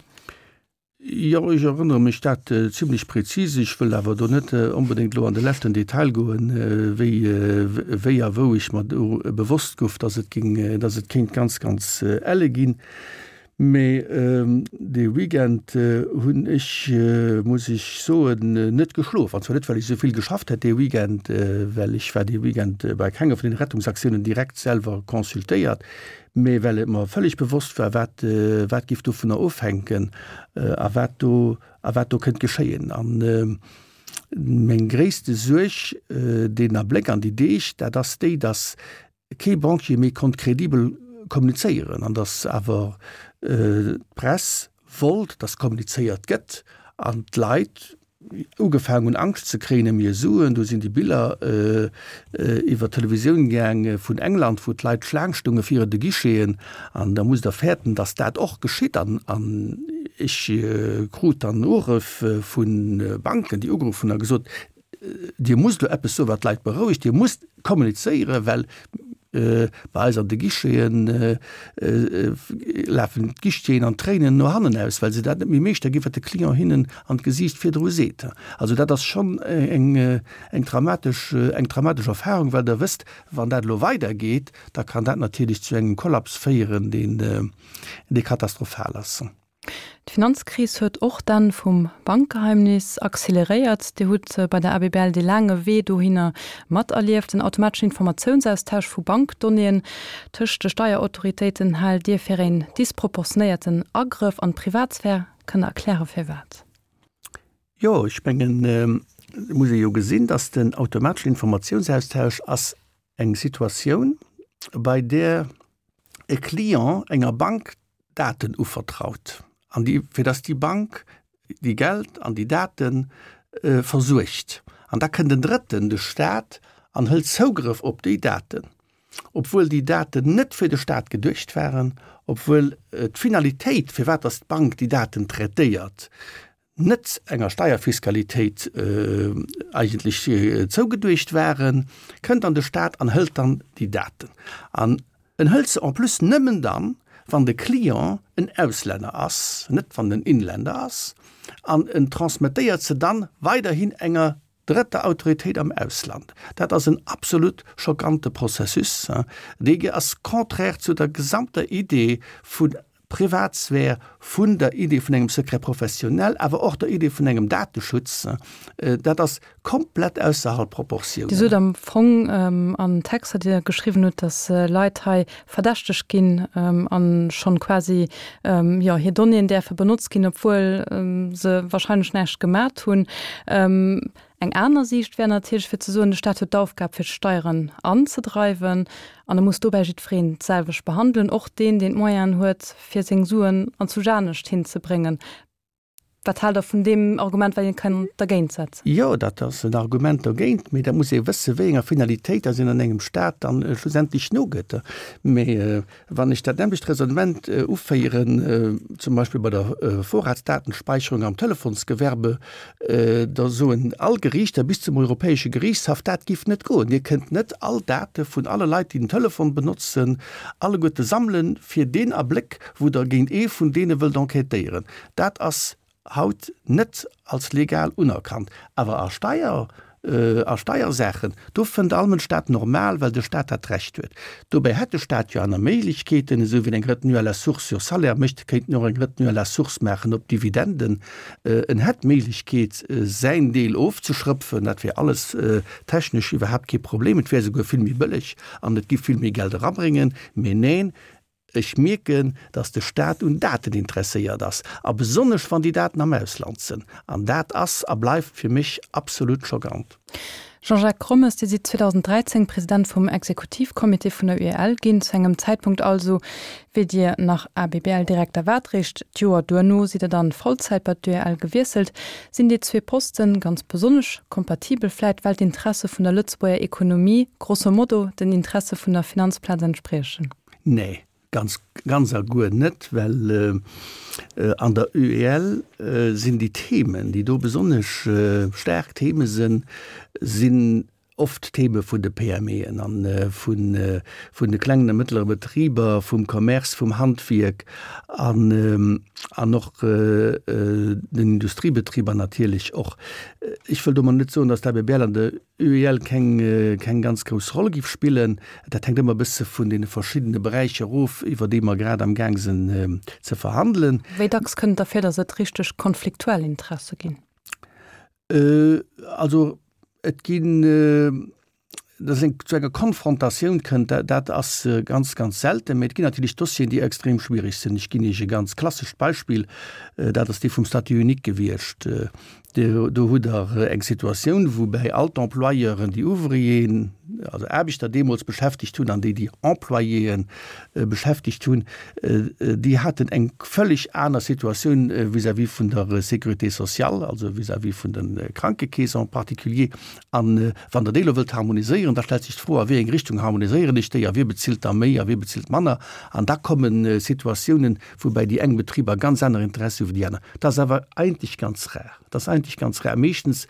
Jo, ech erënnere mech dat zimlech prezis. Ech wëll awer do net onbedéngt elo an de leschten Detail goen, wéi, wéi a wou ech mer do bewosst gouf, dass et géing, dass et kéint ganz, ganz elle ginn. Mee dee Weekend hunn ech, muss ech soen, net geschlof. An zwar net, well ech esou vill geschafft hätt dee Weekend, well ech war dee Weekend bei kenger vun den Rettungsaktiounen direkt selwer consultéiert, mee well et mer völlig bewosst war, wat, wat giff dovunner ofhänken a wat do, a wat do kënnt geschéien. An meng gréisste Suerg deen Abléck an déi Deeg, dat ass déi, dass kee Banquier méi konnt kredibel kommunizéieren an dass awer d'Press wollt, dass kommunizéiert gëtt an d'Leit ugefaangen hunn Angscht ze kréien ëm hir Suen. Do sinn déi Biller iwwer d'Televisioun gaang vun England, wou d'Leit Schlaang stounge virun de Guicheten. An da musst Der fäerten, dass dat och geschitt. An ech krut dann Urëff vu Banken, déi ugeruff hunn a gesot, Dir musst elo eppes soen, wat d'Leit berouegt. Dir musst kommunizéieren, well bei eis an de Guicheten lafen d'Guichetieren an d'Tréinen no hannen aus, well se dat net méi meeschter ginn, wat de Client hinnen an d'Gesiicht virdru seet. Also dat ass schonn eng eng dramatesch eng dramatesch Erfahrung, well Der wësst, wann dat elo weidergeet, da kann dat natierlech zu engem Kollaps féieren, deen dee katastrophal ass. D'Finanzkris huet och d'Enn vum Bankgeheimnis acceleréiert. Dir hutt bei der A B B L dee laange Wee dohinner materlieft. Den automateschen Informatiounsaustausch vu Bankdonnéeën tëscht de Steierautoritéiten haalt Dir fir een disproportionéierten Agrëff an d'Privatsphär. Kënnt Der erkläre firwat? Jo, ech mengen, et muss ee jo gesinn, datt den automateschen Informatiounsaustausch ass eng Situatioun, bei där e Client enger Bank Daten uvertraut an déi, fir datt déi Bank déi Geld an déi Date versuergt. An da kënnt en Drëtten, de Staat, an hëlt Zougrëff op déi Daten, obwuel déi Daten net fir de Staat geduecht waren, obwuel d'Finalitéit, firwat datt d'Bank déi Daten traitéiert, net enger Steierfiskalitéit eigentlech zougeduecht waren, kënnt dann de Staat an hëlt dann déi Daten. An en hëlt se en plus nëmmen dann, wann de Client en Auslänner ass, net wann en Inländer ass, an en transmettéiert se dann weiderhin enger drëtter Autoritéit am Ausland. Dat ass en absolut schockante Processus, dee ass contraire zu der gesamter Idee vu Privatsphär, vun der Idee vun engem Secret professionnel, awer och der Idee vun engem Dateschutz, dat ass komplett ausserhalb Proportiounen. Dir sot am Fong an Texter, déi Der geschriwwen hutt, datt Leit hei verdächtegt ginn a schonn quasi, jo, hir Donnéeën däerfe benotzt ginn, obwuel se wahrscheinlech näischt gemat hunn. Eng aner Siicht wär natierlech fir ze soen, de Staat huet d'Aufgab fir d'Steieren anzedreiwen an e muss dobäi jiddwereen d'selwecht behandelen, och deen, deen d'Moyenen huet fir seng Suen anzwousch anescht hinzebréngen. Wat haalt Der vun deem Argument, wat een kann dergéint setzen? Jo, dat ass en Argument dergéint, mee da muss ee wëssen, wéi enger Finalitéit dass een an engem Staat dann schlussendlech nogëtt. Mee wann ech dat nämmlecht Raisonnement uféieren, zum Beispill bei der Vorratsdatenspeicherung am Telefonsgewerbe, da soen all Geriichter bis zum Europäesche Geriichtshaff, dat giff net goen. Dir kënnt net all Date vun alle Leit, déi den Telefon benotzen, alleguerte sammelen, fir deen Abléck, wou Der géint ee vun deene wëllt enquêtéieren. Dat ass haut net als legal unerkannt. Awer a Steier, a Steiersaachen, do fënnt all Mënsch dat normal, well de Staat dat Recht huet. Dobäi hätt de Staat jo aner Méiglechkeeten, esou wéi en eng Retenue à la source sur salaire mécht, kéint en och eng Retenue à la source maachen op Dividenden. En hätt d'Méiglechkeet, säin Deel ofzeschrëpfen. Dat wär alles technesch iwwerhaapt kee Problem. Et wär esouguer vill méi bëlleg an et giff vill méi Geld erabréngen. Mee neen, Ech mierken, dass de Staat un Daten interesséiert ass, a besonnesch wann déi Daten am Ausland sënn. An dat ass a bleift fir mech absolut schockant. Jean-Jacques Rommes, Dir sidd zweedausenddräizéng President vum Exekutivcomité vun der U E L ginn, zu engem Zäitpunkt also, wéi Dir nach A B B L-Direkter waart. Réischt d'Joer duerno sidd Der dann Vollzäit bei d'U E L gewiesselt. Sinn déi zwee Posten ganz besonnesch kompatibel, vläit well d'Interesse vun der Lëtzebuerger Ekonomie grosso modo den Interesse vun der Finanzplaz entspriechen? Nee, ganz, ganz a guer net, well an der U E L sinn déi Themen, déi do besonnesch staark Theme sinn, sinn oft Theme vun de P M Eën a vun vun de klengen a mëttlere Betriber, vum Commerce, vum Handwierk an an och den Industriebetriber natierlech och. Ech wëll domat net soen, datt d'A B B L an der U E L keng keng ganz grouss Roll giff spillen. Dat hänkt ëmmer e bësse vun deene verschiddene Beräicher of, iwwer déi mer grad am Gaang sinn ze verhandelen. Wéi dacks kënnt et da vir, datt et richteg konfliktuell Interesse ginn? Also et ginn, datt et zu enger Konfrontatioun kënnt, dat ass ganz, ganz selten. Mee et ginn natierlech Dossieren, déi extrem schwierig sinn. Ech ginn Iech e ganz klassescht Beispill, dat ass dee vum Statut unique gewiescht. Do hutt Der eng Situatioun, woubäi all d'Employeuren déi Ouvrieren, also Aarbechter deemools beschäftegt hunn an déi déi Employéen beschäftegt hunn, déi haten eng völlig aner Situatioun vis-à-vis vun der Sécurité sociale, also vis-à-vis vun de Krankekeesen en particulier. An wann Der déi elo wëllt harmoniséieren, da stellt sech d'Fro, a wéi eng Richtung harmoniséieren ech déi a wie bezilt da méi a wie bezilt manner. An da komme Situatiounen, woubäi déi eng Betriber ganz aner Interessi hu wéi déi aner. Dat ass awer eigentlech ganz rar. Dat ass eigentlech ganz rar. Meeschtens,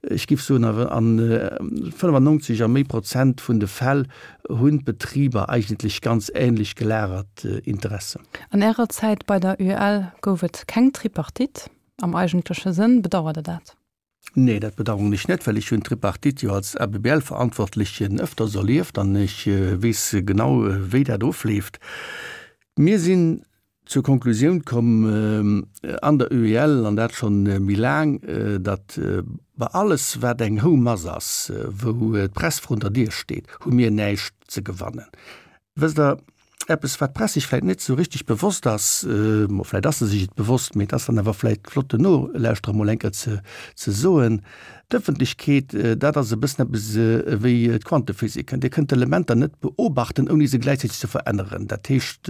ech géif soen, a fënnefannonzeg a méi Prozent vun de Fäll hunn d'Betriber eigentlech ganz ähnlech gelagert Interessen. An Ärer Zäit bei der U E L gouf et keng Tripartite am eigentleche Sënn. Bedauert Der dat? Nee, dat bedauern ech net, well ech hunn d'Tripartite jo als A B B L-Verantwortlechen ëfters erlieft an ech weess genau, wéi dat ofleeft. Mir sinn zur Konklusioun komm an der U E L, an dat schonn méi laang, datt bei alles, wat eng Houmass ass, wou d'Press vrun der Dier steet, hu mir näischt ze gewannen. Wësst Der, eppes, wat d'Press sech vläicht net esou richteg bewosst ass, bon, vläicht ass se sech et bewosst, mee et ass dann awer vläicht flott den Nolauschterer emol eng Kéier ze, ze soen, D'Ëffentlechkeet, dat ass e bëssen eppes ewéi d'Quantephysik. Dir kënnt d'Elementer net beobachten, ouni se gläichzäiteg ze veränneren. Dat heescht,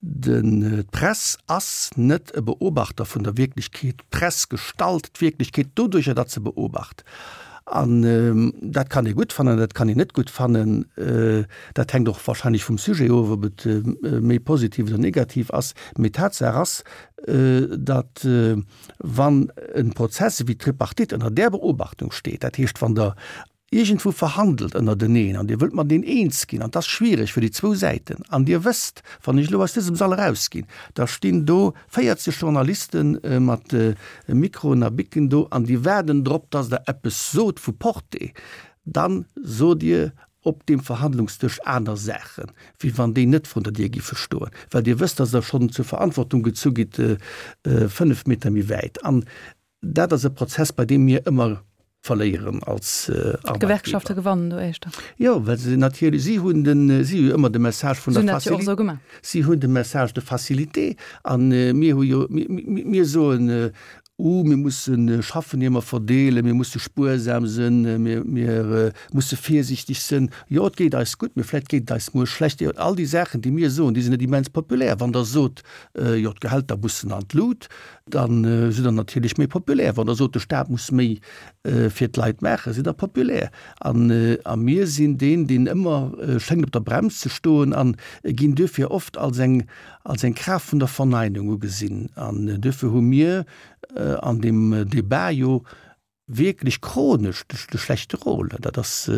den, d'Press ass net e Beobachter vun der Wierklechkeet. D'Press gestalt d'Wierklechkeet doduercher, datt se beobacht. An dat kann ee gutt fannen, dat kann een net gutt fannen. Dat hänkt och wahrscheinlech vum Sujet of, ob et méi positiv oder negativ ass. Mee Tatsaach ass, datt wann e Prozess ewéi d'Tripartite ënner där Beobachtung steet, dat heescht wann Der iergendwou verhandelt ënnerteneen an Dir wëllt mateneen eens ginn, an et ass schwiereg fir déi zwou Säiten, an Dir wësst, wann ech elo aus dësem Sall erausginn, da stinn do véierzeg Journaliste mat Mikroen a Bicken do an déi waarden drop, datt Der eppes sot vu Portée, dann sot Dir, op deem Verhandlungsdësch aner Saachen, wéi wann déi net vrun der Dier giffe stoen, well Dir wësst, dass Der schonn zur Verantwortung gezu gitt fënnef Meter méi wäit. An dat ass e Prozess, bei deem mir ëmmer verléieren als Arbeitgeber. D'Gewerkschafte gewannen do éischter. Jo, well se natierlech, si hunn den, si hu jo ëmmer de Message vun der Facilité, si hunn de Message de facilité an mir hu jo, mir soen, Uh, mir musse schaffen ier mer verdeelen, mir musse spuersam sënn, mir, mir musse virsiichteg sënn. Jo, et geet eis gutt, mee vläicht geet et eis muer schlecht. Jo, all déi Saachen, déi mir soen, déi sinn net immens populär. Wann Der sot, jo, d'Gehälter mussen an d'Lut, da sidd Der natierlech méi populär. Wann Der sot, de Staat muss méi fir d'Leit maachen, sidd Der populär. An, a mir sinn deen, deen ëmmer schéngt op der Brems ze stoen a ginn duerfir oft als eng, als eng Kraaft vun der Verneinung ugesinn. An duerfir hu mir an deem Débat jo wierklech chronesch de schlechte Rôle. Dat ass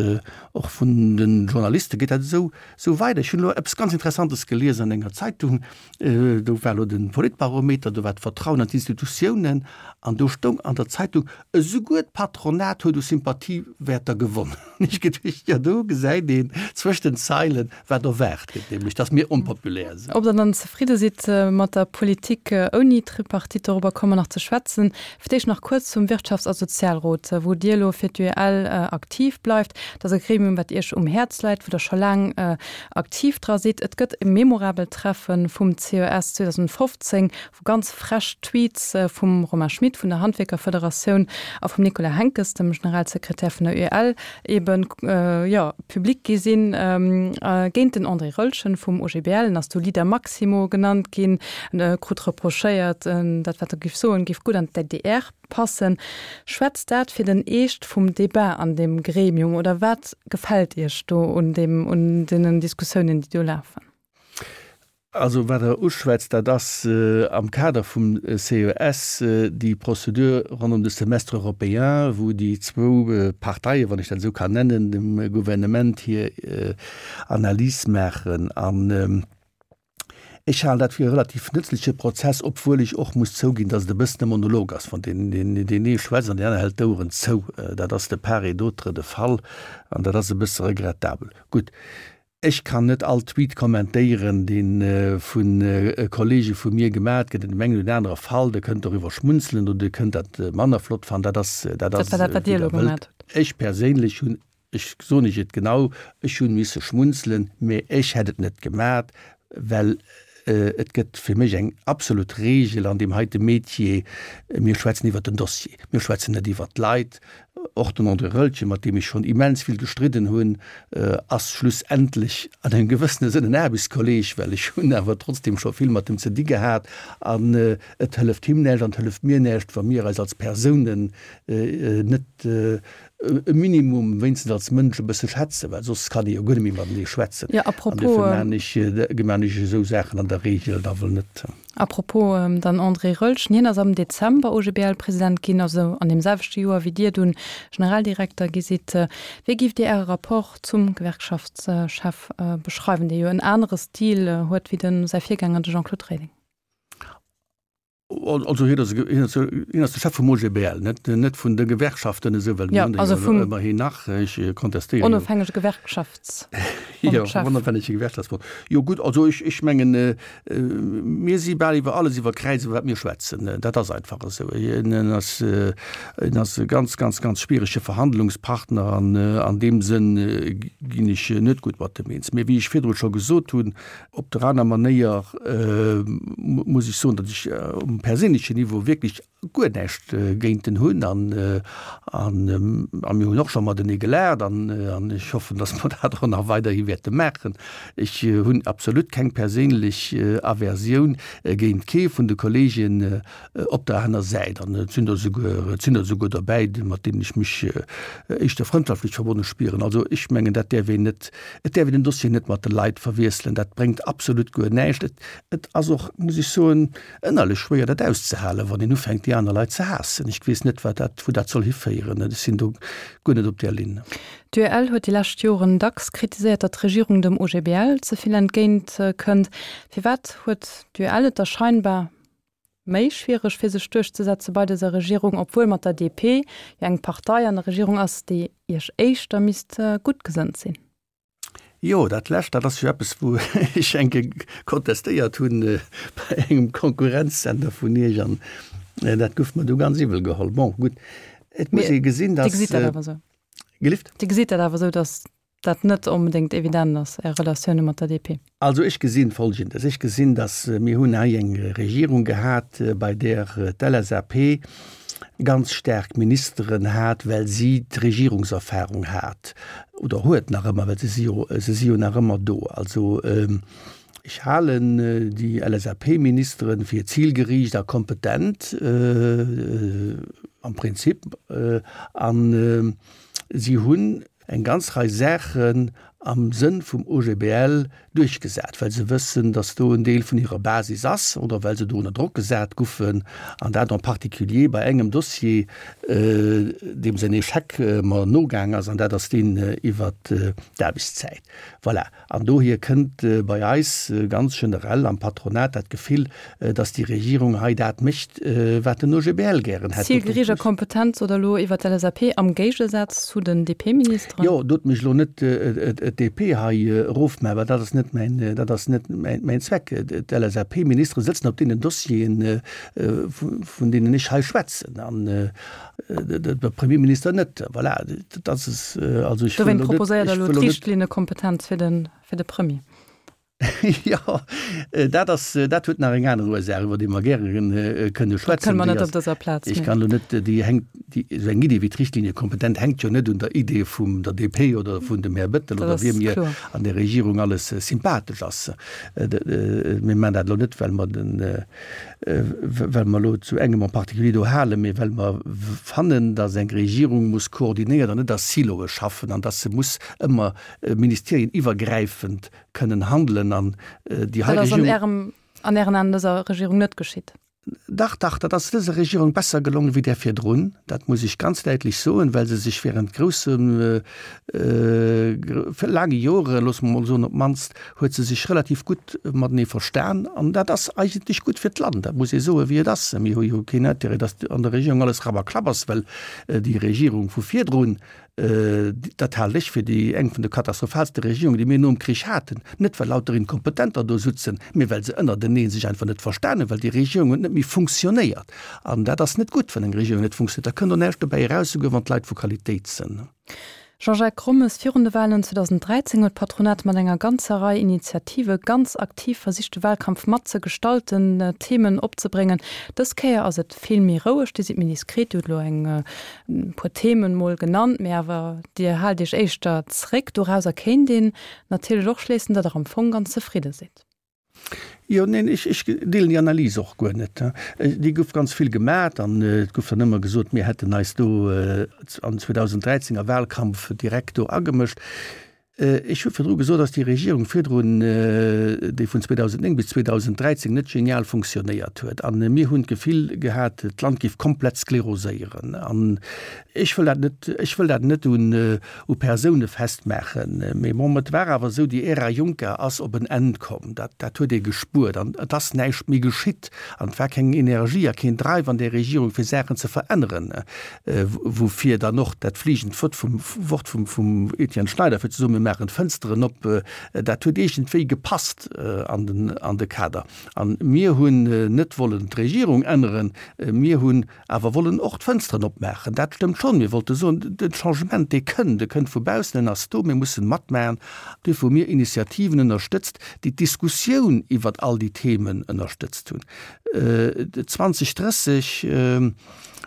och vun de Journaliste geet dat esou esou weider. Ech hunn elo eppes ganz Interessantes gelies an enger Zeitung, do war elo de Politbarometer, do war d'Vertrauen an d'Institutiounen an do stoung an der Zeitung, esouguer d'Patronat huet u Sympathiewäerter gewonnen. Hunn ech geduecht, jo do gesäit een zwëscht den Zeilen, wat erwaart gëtt, nämlech datt mir onpopulär sinn. Ob Der dann zefridde sidd mat der Politik ouni Tripartite, dorobber komme mer nach ze schwätzen. Fir d'éischt nach kuerz zum Wirtschafts a Sozialrot, wou Dir elo fir d'UEL aktiv bleift. Dat ass e Gremium, wat Iech um Häerz läit, wou Der scho laang aktiv dra sidd. Et gëtt e memorabelt Treffe vum C E S zweedausendfofzéng, wou ganz frech Tweets vum Romain Schmit vun der Handwierkerfederatioun a vum Nicolas Henckes, dem Generalsekretär vun der U E L, eben jo public gi sinn géint den André Roeltgen vum O G B L. En ass do Leader Maximo genannt ginn, en krut reprochéiert, dat wat e géif soen, géif gutt an d'D D R passen. Schwätzt dat fir den Eescht vum Debat an deem Gremium oder wat gefält Iech do un deem, un deenen Diskussiounen, déi do lafen? Also wat Der uschwätzt, dat ass am Kader vum C E S déi Prozedur ronderëm de Semestre européen, wou déi zwou Parteien, wann ech dat esou kann nennen, dem Gouvernement hir Analys maachen. An ech halen dat fir e relativ nëtzleche Prozess, obwuel ech och muss zouginn, datt et e bëssen e Monolog ass, wann deen deen ee schwätzt an deen aner hält d'Oueren zou. Dat ass de part et d'autre de Fall an dat ass e bësse regrettabel. Gutt. Ech kann net all Tweet kommentéieren, dee vu Kollege vu mir gemat gëtt. An deem engen oder anere Fall, Der kënnt doriwwer schmunzelen oder Dir kënnt dat manner flott fannen, dat ass, dat ass, dat war dat, wat Dir elo gemat hutt. Ech perséinlech hunn, ech soen Iech et genau, ech hunn misse schmunzelen, mä ech hätt et net gemat, well et gëtt fir mech eng absolut Regel an deem heite Metier, mir schwätzen iwwert den Dossier, mir schwätzen net iwwert d'Leit. Och den André Roeltgen, mat deem ech schonn immens vill gestridden hunn, ass schlussendlech an engem gewëssene Sënn en Aarbechtskolleg, well ech hunn awer trotzdem scho vill mat em ze di gehat. An et hëlleft him näischt an et hëlleft mir näischt, wa mir eis als Persounen net e Minimum, wéinstens als Mënsch, e bësse schätzen, well soss kann ee jo guer net méi matenee schwätzen. Jo, An apropos. duerfir maan ech, maan ech esou Saachen an der Regel da wuel net. Apropos dann André Roeltgen, hien ass am Dezember O G B L-President ginn, also an deem selwechte Joer wéi Dir dunn Generaldirekter gi sidd. Wéi giff Dir Äre Rapport zum Gewerkschaftschef beschreiwen, dee jo en anere Stil huet wéi de säi Virgänger, de Jean-Claude Reding? Also hien ass, hien ass, hien ass de Chef vum O G B L, net, net vun de Gewerkschaften esou, well mir hunn der jo ëmmerhin nach. Ech kontestéiere jo. Onofhängege Gewerkschaftsbond-Chef. Jo, onofhängege Gewerkschaftsbond. Jo gutt, also ech, ech mengen, mir si bal iwwer alles iwwer Kräiz, iwwer wat mir schwätzen. Dat ass einfach esou. Hien ass, hien ass e ganz, ganz, ganz schwierege Verhandlungspartner an an deem Sënn ginn ech net gutt mat em eens. Mee wéi ech virdru scho gesot hunn, op der aner Manéier muss ech soen, datt ech um perséinlechen Niveau wierklech guer näischt géint en hunn an an a mir hunn och scho matenee gelaacht an an ech hoffen, datt mer dat och nach weiderhi wäerte maachen. Ech hunn absolut keng perséinlech Aversioun géint kee vun de Kolleegen op der aner Säit an et sinn der esouguer, et sinn der esouguer derbäi, mat deenen ech mech éischter frëndschaftlech verbonne spieren. Also ech mengen, dat däerf een net, et däerf een den Dossier net mat de Leit verwiesselen, dat bréngt absolut guer näischt. Et, et ass och, muss ech soen, ënnerlech schwéier dat auszehalen, wann een ufänkt déi aner Leit ze haassen. Ech weess net, wat dat, wou dat soll hiféieren. Ech sinn do guer net op där Linn. D'U E L huet déi lescht Joren dacks kritiséiert, datt d'Regierung dem O G B L ze vill entgéint kënnt. Firwat huet d'U E L et da scheinbar méi schwiereg fir sech duerchzesetze bei dëser Regierung, obwuel mat der D P jo eng Partei an der Regierung ass, déi Iech éischter misst gutt gesënnt sinn? Jo, dat Lescht, dat ass jo eppes, wou ech eng Kéier kontestéiert hunn bei engem Konkurrenzsender vun Iech an dat gouf mer du ganz iwwel geholl. Bon, gutt, et muss ee gesinn, Dir dass. gesitt dat awer esou? Gelift? Dir gesitt dat awer esou, dass dat net onbedéngt evident ass, Är Relatioune mat der D P? Also ech gesinn Folgendes, Ech gesinn, dass mir hunn hei eng Regierung gehat, bei där d'L S A P ganz staark Ministeren hat, well si d'Regierungserfahrung hat oder huet nach ëmmer, well se si jo, se si jo nach ëmmer do. Also ech halen déi L S A P-Ministere fir zilgeriicht a kompetent am Prinzip an si hunn eng ganz Rei Saachen am Sënn vum O G B L duerchgesat, well se wëssen, datt do en Deel vun hirer Basis ass oder well se do ënner Drock gesat goufen, an dat en particulier bei engem Dossier, deem säin Échec mer nogaang ass, an dat ass deen iwwert d'Aarbechtszäit. Voilà. An dohier kënnt bei eis ganz generell am Patronat dat Gefill, datt déi Regierung hei dat mécht, wat den O G B L gären hätt. Zielgericht a Kompetenz oder elo iwwer d'L S A P am Géigesaz zu den D P-Ministeren? Jo, dot mech elo net d'D P hei erofmaachen, well dat ass net mäin, dat ass net mäin Zweck. D'L S A P-Ministere sëtzen op deenen Dossieren, vun deenen ech hei schwätzen, an de Premierminister net. Voilà, dat ass also ech wëll elo net. Dowéint proposéiert Der elo d'Richtlinnekompetenz fir de, fir de Premier. Jo, dat ass, dat huet nach eng aner Ursaach, iwwer déi mer gäre kënne Dat schwätzen. kënne mer Déi net ass, op dëser Plaz, ech mee. kann elo net, déi hänkt, déi, esou eng Idee wéi d'Richtlinienkompetenz hänkt jo net un der Idee vum der D P oder vun dem Här Bettel Dat oder ass wiem mir kloer. an der Regierung alles sympathesch ass. Mir maachen dat elo net, well mer den, well mer elo zu engem en particulier do halen, mee well mer fannen, datt eng Regierung muss koordinéiert an net a Siloe schaffen an datt se muss ëmmer ministerieniwwergräifend kënnen handelen an déi hei Dat ass an Regierung. Ärem, an Ären Aen dëser Regierung net geschitt. Dach, dach, dat ass dëser Regierung besser gelongen wéi där virdrun. Dat muss ech ganz däitlech soen, well se sech während groussem, laange Jore, loosse mer mol soen, op d'mannst huet se sech relativ gutt matenee verstan. An dat ass eigentlech gutt fir d'Land, dat muss ee soen, wéi et ass. Mir hu jo keen Intérêt, datt an der Regierung alles Rabberklapp ass, well déi Regierung vu virdrun, dat halen ech fir déi eng vun de katastrophaalste Regierungen, déi mir nom Krich haten, net well lauter Inkompetenter do sutzen, mee well se ënnertenee sech einfach net verstan hunn, well déi Regierung huet net méi funktionéiert. An dat ass net gutt, wann eng Regierung net funktionéiert. Da kënnt och näischt dobäi eraus, souguer wann d'Leit vu Qualitéit sinn. Jean-Jacques Rommes, Virun de Wahlen zweedausendräizéng huet d'Patronat mat enger ganzer Rei Initiative ganz aktiv versicht de Wahlkampf mat ze gestalten, Themen opzebréngen. Dës Kéier ass et vill méi roueg, Dir sidd méi diskret, Dir hutt elo eng puer Themen mol genannt, mee awer Dir haalt Iech éischter zréck. Dorauser kéint een natierlech och schléissen, datt Der am Fong ganz zefridde sidd. Jo, neen, ech, ech deelen déi Analys och guer net. Déi gouf ganz vill gemat an et gouf dann ëmmer gesot, mir hätten eis do an zweedausendräizéng a Wahlkampf direkt do agemëscht. Ech hu virdru gesot, datt déi Regierung virdrun, déi vun zweedausendnéng bis zweedausendräizéng net genial funktionéiert huet. An mir hunn d'Gefill gehat, d'Land géif komplett skleroséieren. An ech wëll dat net, ech wëll dat net un u Persoune festmaachen, mee bon, et war awer esou, déi Ära Juncker ass op en Enn komm, dat, dat huet ee gespuert an et ass näischt méi geschitt an et war keng Energie a keen Drive an där Regierung fir Saachen ze veränneren, woufir dann och dat fliegend Wort vum, Wort vum, vum Etienne Schneider, fir ze soen, mir maachen d'Fënsteren op, dat huet iergendwéi gepasst an den, an de Kader. An mir hunn net wollen d'Regierung änneren, mir hunn awer wollen och d'Fënsteren opmaachen. Dat stëmmt schonn. Mir wollte soen, den Changement, dee kënn, dee kënnt vu baussen, en ass do, mir mussen matmaachen. Duerfir hu mir Initiativen ënnerstëtzt, déi d'Diskussioun iwwert all déi Themen ënnerstëtzt hunn. zwanzeg drësseg,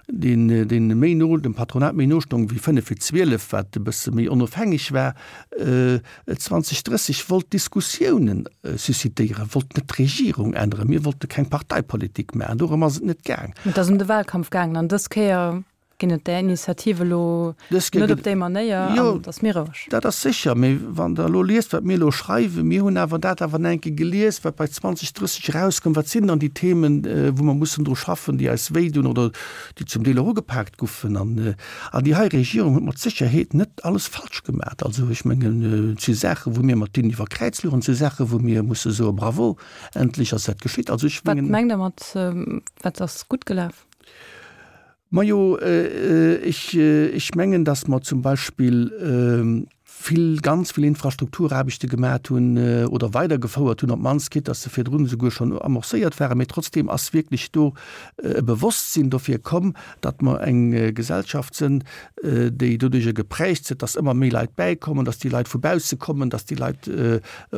deen, deen méi no dem Patronat méi no stong wéi fënnef vir zwielef, wat e bësse méi onofhängeg war, zwanzeg drësseg wollt Diskussiounen suscitéieren, wollt net d'Regierung änneren. Mir wollte keng Parteipolitik maachen, dorëm ass et net gaang. Et ass ëm de Wahlkampf gaangen an dës Kéier ginn et där Initiative elo Dës Kéier net gëtt op déi Manéier Jo, an et ass méi roueg. dat ass sécher, mee wann Der elo liest, wat mir elo schreiwen, mir hunn awer dat awer nach eng Kéier gelies, wat bei zwanzeg drësseg erauskoum, wat sinn dann déi Themen, wou mer mussen dru schaffen, déi eis wéidun oder déi zum Deel och ugepaakt goufen. An, an déi hei Regierung huet mat Sécherheet net alles falsch gemaach. Also ech mengen, et si Saachen, wou mir mat deenen iwwer Kräiz luchen, et si Saachen, wou mir musse soe Bravo, endlech ass dat geschitt. Also ech Wat mengen. mengt Der mat, wat ass gutt gelaf? Majo, ech, ech mengen, datt mer zum Beispill vill, ganz vill Infrastrukturaarbechte gemat hunn oder weidergefouert hunn, op d'mannst, quitte dass se virdrun esouguer schonn amorcéiert waren. Mee trotzdeem ass wierklech do e Bewosstsinn dofir komm, datt mer eng Gesellschaft sinn, déi doduerjer geprägt sinn, datt ëmmer méi Leit bäikommen, datt déi Leit vu bausse kommen, datt déi Leit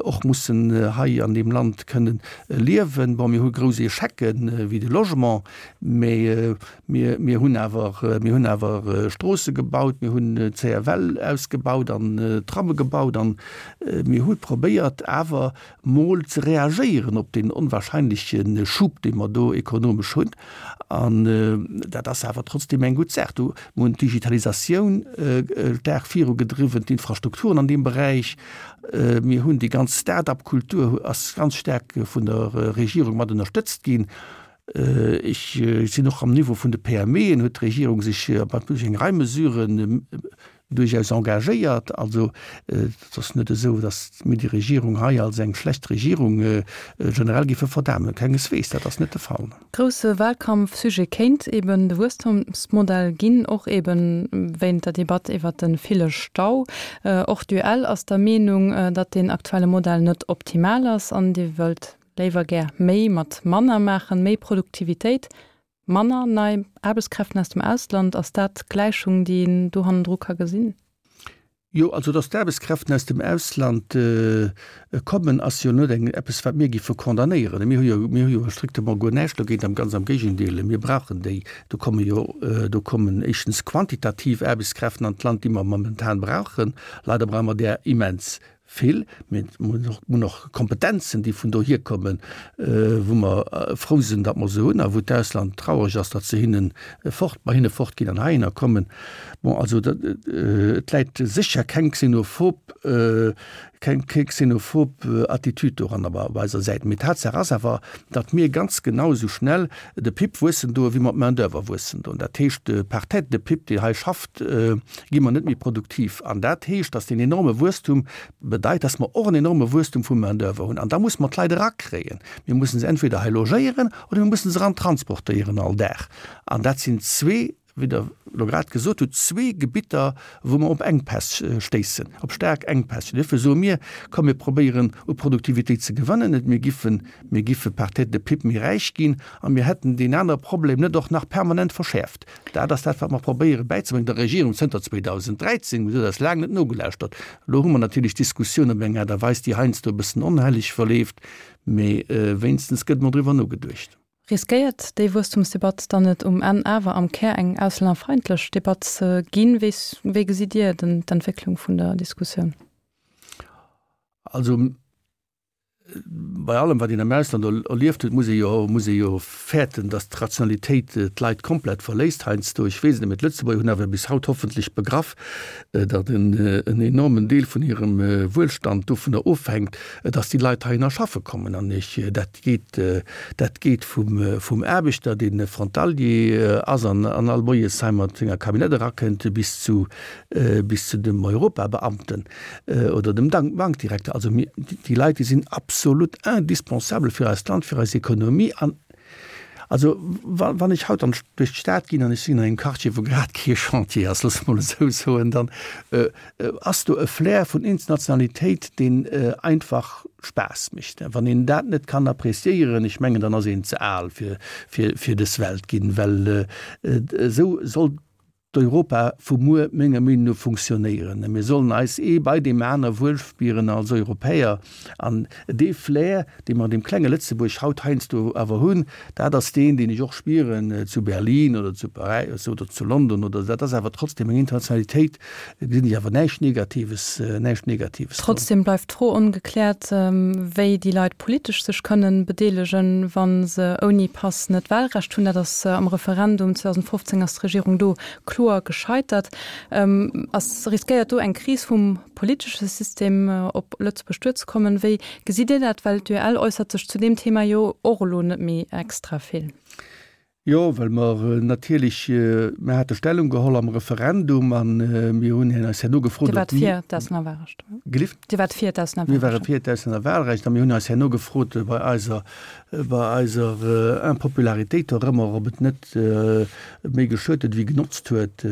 och mussen hei an deem Land kënnen liewen. Bon, mir hu grouss Échecken wéi de Logement, mee mir, mir hunn awer, mir hunn awer Stroosse gebaut, mir hunn d'CFL ausgebaut an Tramme gebaut an mir hu probéiert awer mol ze reagéieren op deen onwahrscheinleche Schub, dee mer do ekonomesch hunn. An dat ass awer trotzdeem eng gutt Saach. Do mir hunn d'Digitalisatioun staark virugedriwwen, d'Infrastrukturen an deem Beräich. Mir hunn déi ganz Start-up-Kultur ass ganz staark vun der Regierung mat ënnerstëtzt ginn. Ech sinn och am Niveau vun de PMEen huet d'Regierung sech duerch eng Rei Mesuren duerchaus engagéiert. Also et ass net esou, datt mir déi Regierung hei als eng schlecht Regierung generell géife verdamen. Kengesweegs, dat ass net de Fall. Grousse Wahlkampfsujet kéint eben de Wuesstumsmodell ginn, och eben wéint der Debatt iwwert de ville Stau. Och d'UEL ass der Meenung, datt deen aktuelle Modell net optimal ass an Dir wëllt léiwer gär méi mat manner maachen, méi Produktivitéit, manner nei Aarbechtskräften aus dem Ausland. Ass dat d'Gläichung, déi een do hannendru ka gesinn? Jo, also datt d'Aarbechtskräften aus dem Ausland kommen, ass jo net eng eppes, wat mir géife condamnéieren. Mir hu jo, mir hu jo strictement guer näischt dogéint, am ganz am Géigendeel, mir brauchen déi. Do komme jo, do kommen éischtens quantitativ Aarbechtskräften an d'Land, déi mer momentan brauchen. Leider brauche mer där immens vill, mee mir hunn och Kompetenzen, déi vun dohier kommen, wou mer frou sinn, datt mer se hunn a wou d'Ausland traureg ass, datt se hinne fort, bei hinne fortginn an heihinner kommen. Bon, also et läit sécher keng xenophob, keng xenophob Attitüd doranner op eiser Säit. Mee Tatsaach ass awer, datt mir ganz genau esou schnell de PIB wuessen doen, wéi mer d'Main-d'oeuvre wuessen doen. Dat heescht, par tête de PIB, deen hei schafft, gi mer net méi produktiv. An dat heescht, datt deen enorme Wuesstum bedeit, datt mer och en enorme Wuesstum vu Main-d'oeuvre hunn. An da musse mer d'Leit erakréien. Mir mussen se entweder hei logéieren oder mir mussen se erantransportéieren all Dag. An dat sinn zwee, wéi Der elo grad gesot hutt, zwee Gebitter, wou mer op Enkpäss stéissen, op staark Enkpäss. Duerfir soe mir, Komm mir probéieren u Produktivitéit ze gewannen, et mir giffen, mir giffe par tête de PIB méi räich ginn a mir hätten deen anere Problem net och nach permanent verschäerft. Dat ass dat, wat mer probéiere bäizebréngen der Regierung zënter zweedausend dräizéng. Si huet eis laang net nogelauschtert. Elo hu mer natierlech d'Diskussioun op eng Aart a Weis, déi heiansdo e bëssen onhelleg verleeft, mee wéinstens gëtt emol driwwer nogeduecht. Riskéiert déi Wuesstumsdebatt dann net um Enn awer am Kär eng auslännerfeindlech Debatt ze ginn? Wéi gesitt Dir d'Entwécklung vun der Diskussioun? Also bei allem, wat een am Ausland erlieft huet, muss ee jo, muss ee jo fäerten, datt d'Rationalitéit d'Leit komplett verléisst heiansdo. Ech weess et net, mee d'Lëtzebuerger hunn awer bis haut hoffentlech begraff, datt en enormen Deel vun hirem Wuelstand dovunner ofhänkt, datt déi Leit heihinner schaffe kommen. An ech, dat geet, dat geet vum, vum Aarbechter, dee Frontalier ass an an all Moies hei mat senger Camionnette erakënnt, bis zu, bis zu dem Europabeamten oder dem Bankdirekter. Also mir, déi Leit, déi sinn absolut indispensabel fir eist Land, fir eis Ekonomie. An also wann ech haut an duerch d'Stad ginn an ech sinn an engem Quartier, wou grad kee Chantier ass, loosse mer mol esou soen, dann ass do e Flair vun Internationalitéit, deen einfach Spaass mécht. Wann een dat net kann appréciéieren, ech mengen, dann ass een ze al fir fir dës Welt ginn, well esou soll d'Europa vu muer menger Meenung no funktionéieren. Mir sollen eis ee bei deem aner wuel spieren als Europäer. An dee Flair, dee mer an deem klenge Lëtzebuerg haut heiansdo awer hunn, dat ass deen, deen ech och spieren zu Berlin oder zu Paräis oder zu London oder, dat ass awer trotzdem eng Internationalitéit, gesinn ech awer näischt Negatives, näischt Negatives dran. Trotzdem bleift d'Fro ongekläert, wéi déi Leit politesch sech kënnen bedeelegen, wa se ouni Pass net d'Wahlrecht hunn. Dat ass am Referendum zweedausendfofzéng ass d'Regierung do kloer gescheitert. Ass riskéiert do eng Kris vum politesche System op Lëtzebuerg duerzekommen? Wéi gesitt Dir dat, well d'UEL äussert sech zu deem Thema jo och elo net méi extra vill. Jo, well mer natierlech, mer hate Stellung geholl am Referendum an mir hunn eis herno gefrot, Dir waart fir d'Auslännerwahlrecht? Gelift? Dir waart fir d'Auslännerwahlrecht? Mir ware fir d'Auslännerwahlrecht a mir hunn eis herno gefrot bei eiser, bei eiser Impopularitéit dorëmmer, ob et net méi geschuet huet wéi genotzt huet.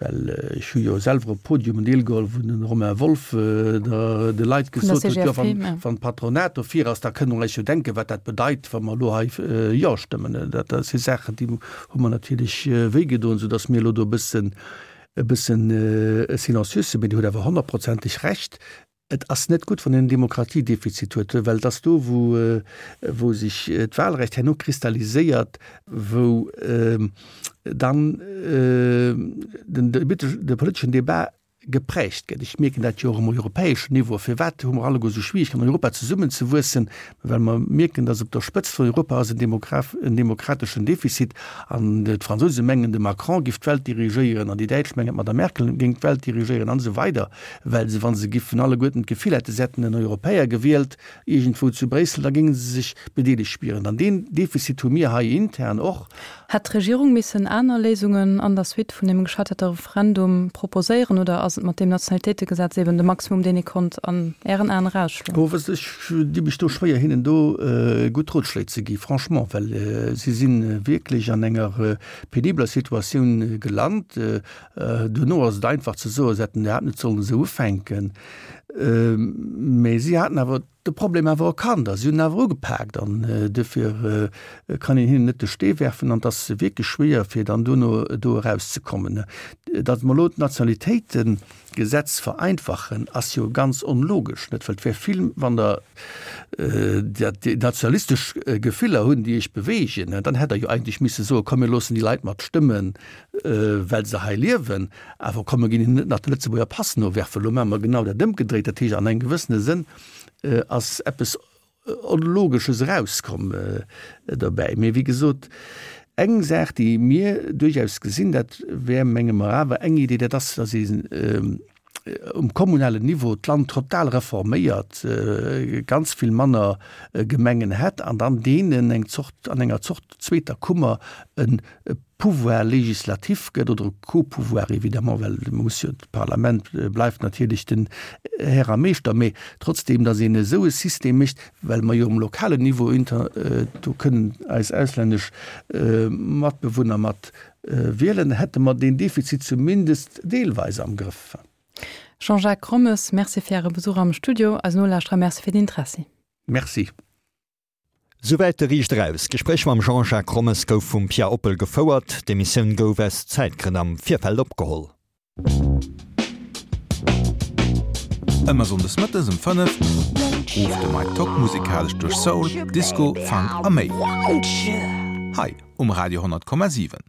Well ech hu jo selwer op Podiumen deelgeholl, wou de Romain Wolff de Leit gesot huet, jo, wann d'Patronat dofir ass, da kënne mer eis jo denken, wat dat bedeit, wa mer elo hei Jo stëmmen. Dat si Saachen, déi hu mer natierlech wéigedoen, soudass mir elo do e bëssen, e bëssen silencieux sinn. Mee Dir hutt awer honnertprozenteg Recht, Et ass net gutt, wann een en Demokratiedefizit huet, well et ass do, wou, wou sech d'Wahlrecht herno kristalliséiert, wou dann den, de politeschen Debat geprägt gëtt. Ech mierken dat jo och um europäeschen Niveau. Firwat hu mer alleguer esou Schwierigkeeten, an Europa zesummenzewuessen? Well mer mierken, datt op der Spëtzt vun Europa ass en demokrateschen Defizit an d'Fransouse mengen, de Macron giff d'Welt dirigéieren an déi Däitsch mengen, d'Madame Merkel géing d'Welt dirigéieren an esou weider, well se, wa se giffen alleguerten d'Gefill hätten, se hätten en Europäer gewielt iergendwou zu Bréissel, da géinge se sech bedeelegt spieren. An deen Defizit hu mir hei intern och. Hätt d'Regierung missen aner Léisungen an der Suite vun deem gescheiterte Referendum proposéieren oder ass et mat deem Nationalitéitegesetz eben de Maximum, deen ee konnt an Ären Aen erausschloen? Oh, wësst ech di mech do schwéier hinnen do gutt Rotschléi ze gi, franchement, well si si wierklech an enger penibeler Situatioun gelant. Duerno ass et einfach ze soen, se hätten iwwerhaapt net sollen esou ufänken. Mä si haten awer de Problem awer erkannt a si hunn en awer ugepaakt an duerfir kann een hinnen net de Stee werfen an et ass wierklech schwéier fir dann duerno do erauszekommen. Datt mer elo d'Nationalitéitengesetz vereinfachen, ass jo ganz onlogesch, net? Well et wär vill, wann Der déi nationalistesch Gefiller hunn, déi Iech beweegen, dann hätt Der jo eigentlech misse soen, komm mir loossen déi Leit mat stëmmen, well se hei liewen, awer komm mir ginn hinnen net nach de Lëtzebuerger Pass nowerfen. Elo maache mer genau dat Ëmgedréit. Dat heescht, an engem gewëssene Sënn ass eppes Onlogesches erauskomm dobäi. Mee wéi gesot, eng Saach, déi mir duerchaus gesinn, dat wär, menge mer, awer eng Idee, dat ass, datt ee um kommunalen Niveau d'Land total reforméiert, ganz vill manner Gemengen hätt an dann deenen eng Zort, an enger Zort zweeter Kummer e Pouvoir législatif gëtt, oder e Co-Pouvoir évidemment, well muss jo, d'Parlament bleift natierlech den Här a Meeschter, mee trotzdem, datt een esou e System mécht, well mer jo um lokalen Niveau inter, do kënnen eis auslännesch Matbewunner mat wielen, hätte mer deen Defizit zumindest deelweis am Grëff. Jean-Jacques Rommes, Merci fir Äre Besuch am Studio. Eisen Nolauschterer Merci fir den Interessi. Merci. Souwäit de Riicht Eraus. D'Gespréich mam Jean-Jacques Rommes gouf vum Pia Oppel gefouert. D'Emissioun gouf aus Zäitgrënn am Virfeld opgeholl. Ëmmer sonndes mëttes um fënnef rufft de Mike Tock musikalesch duerch Soul, Disco, Funk a méi. Hei um Radio honnert Komma siwen.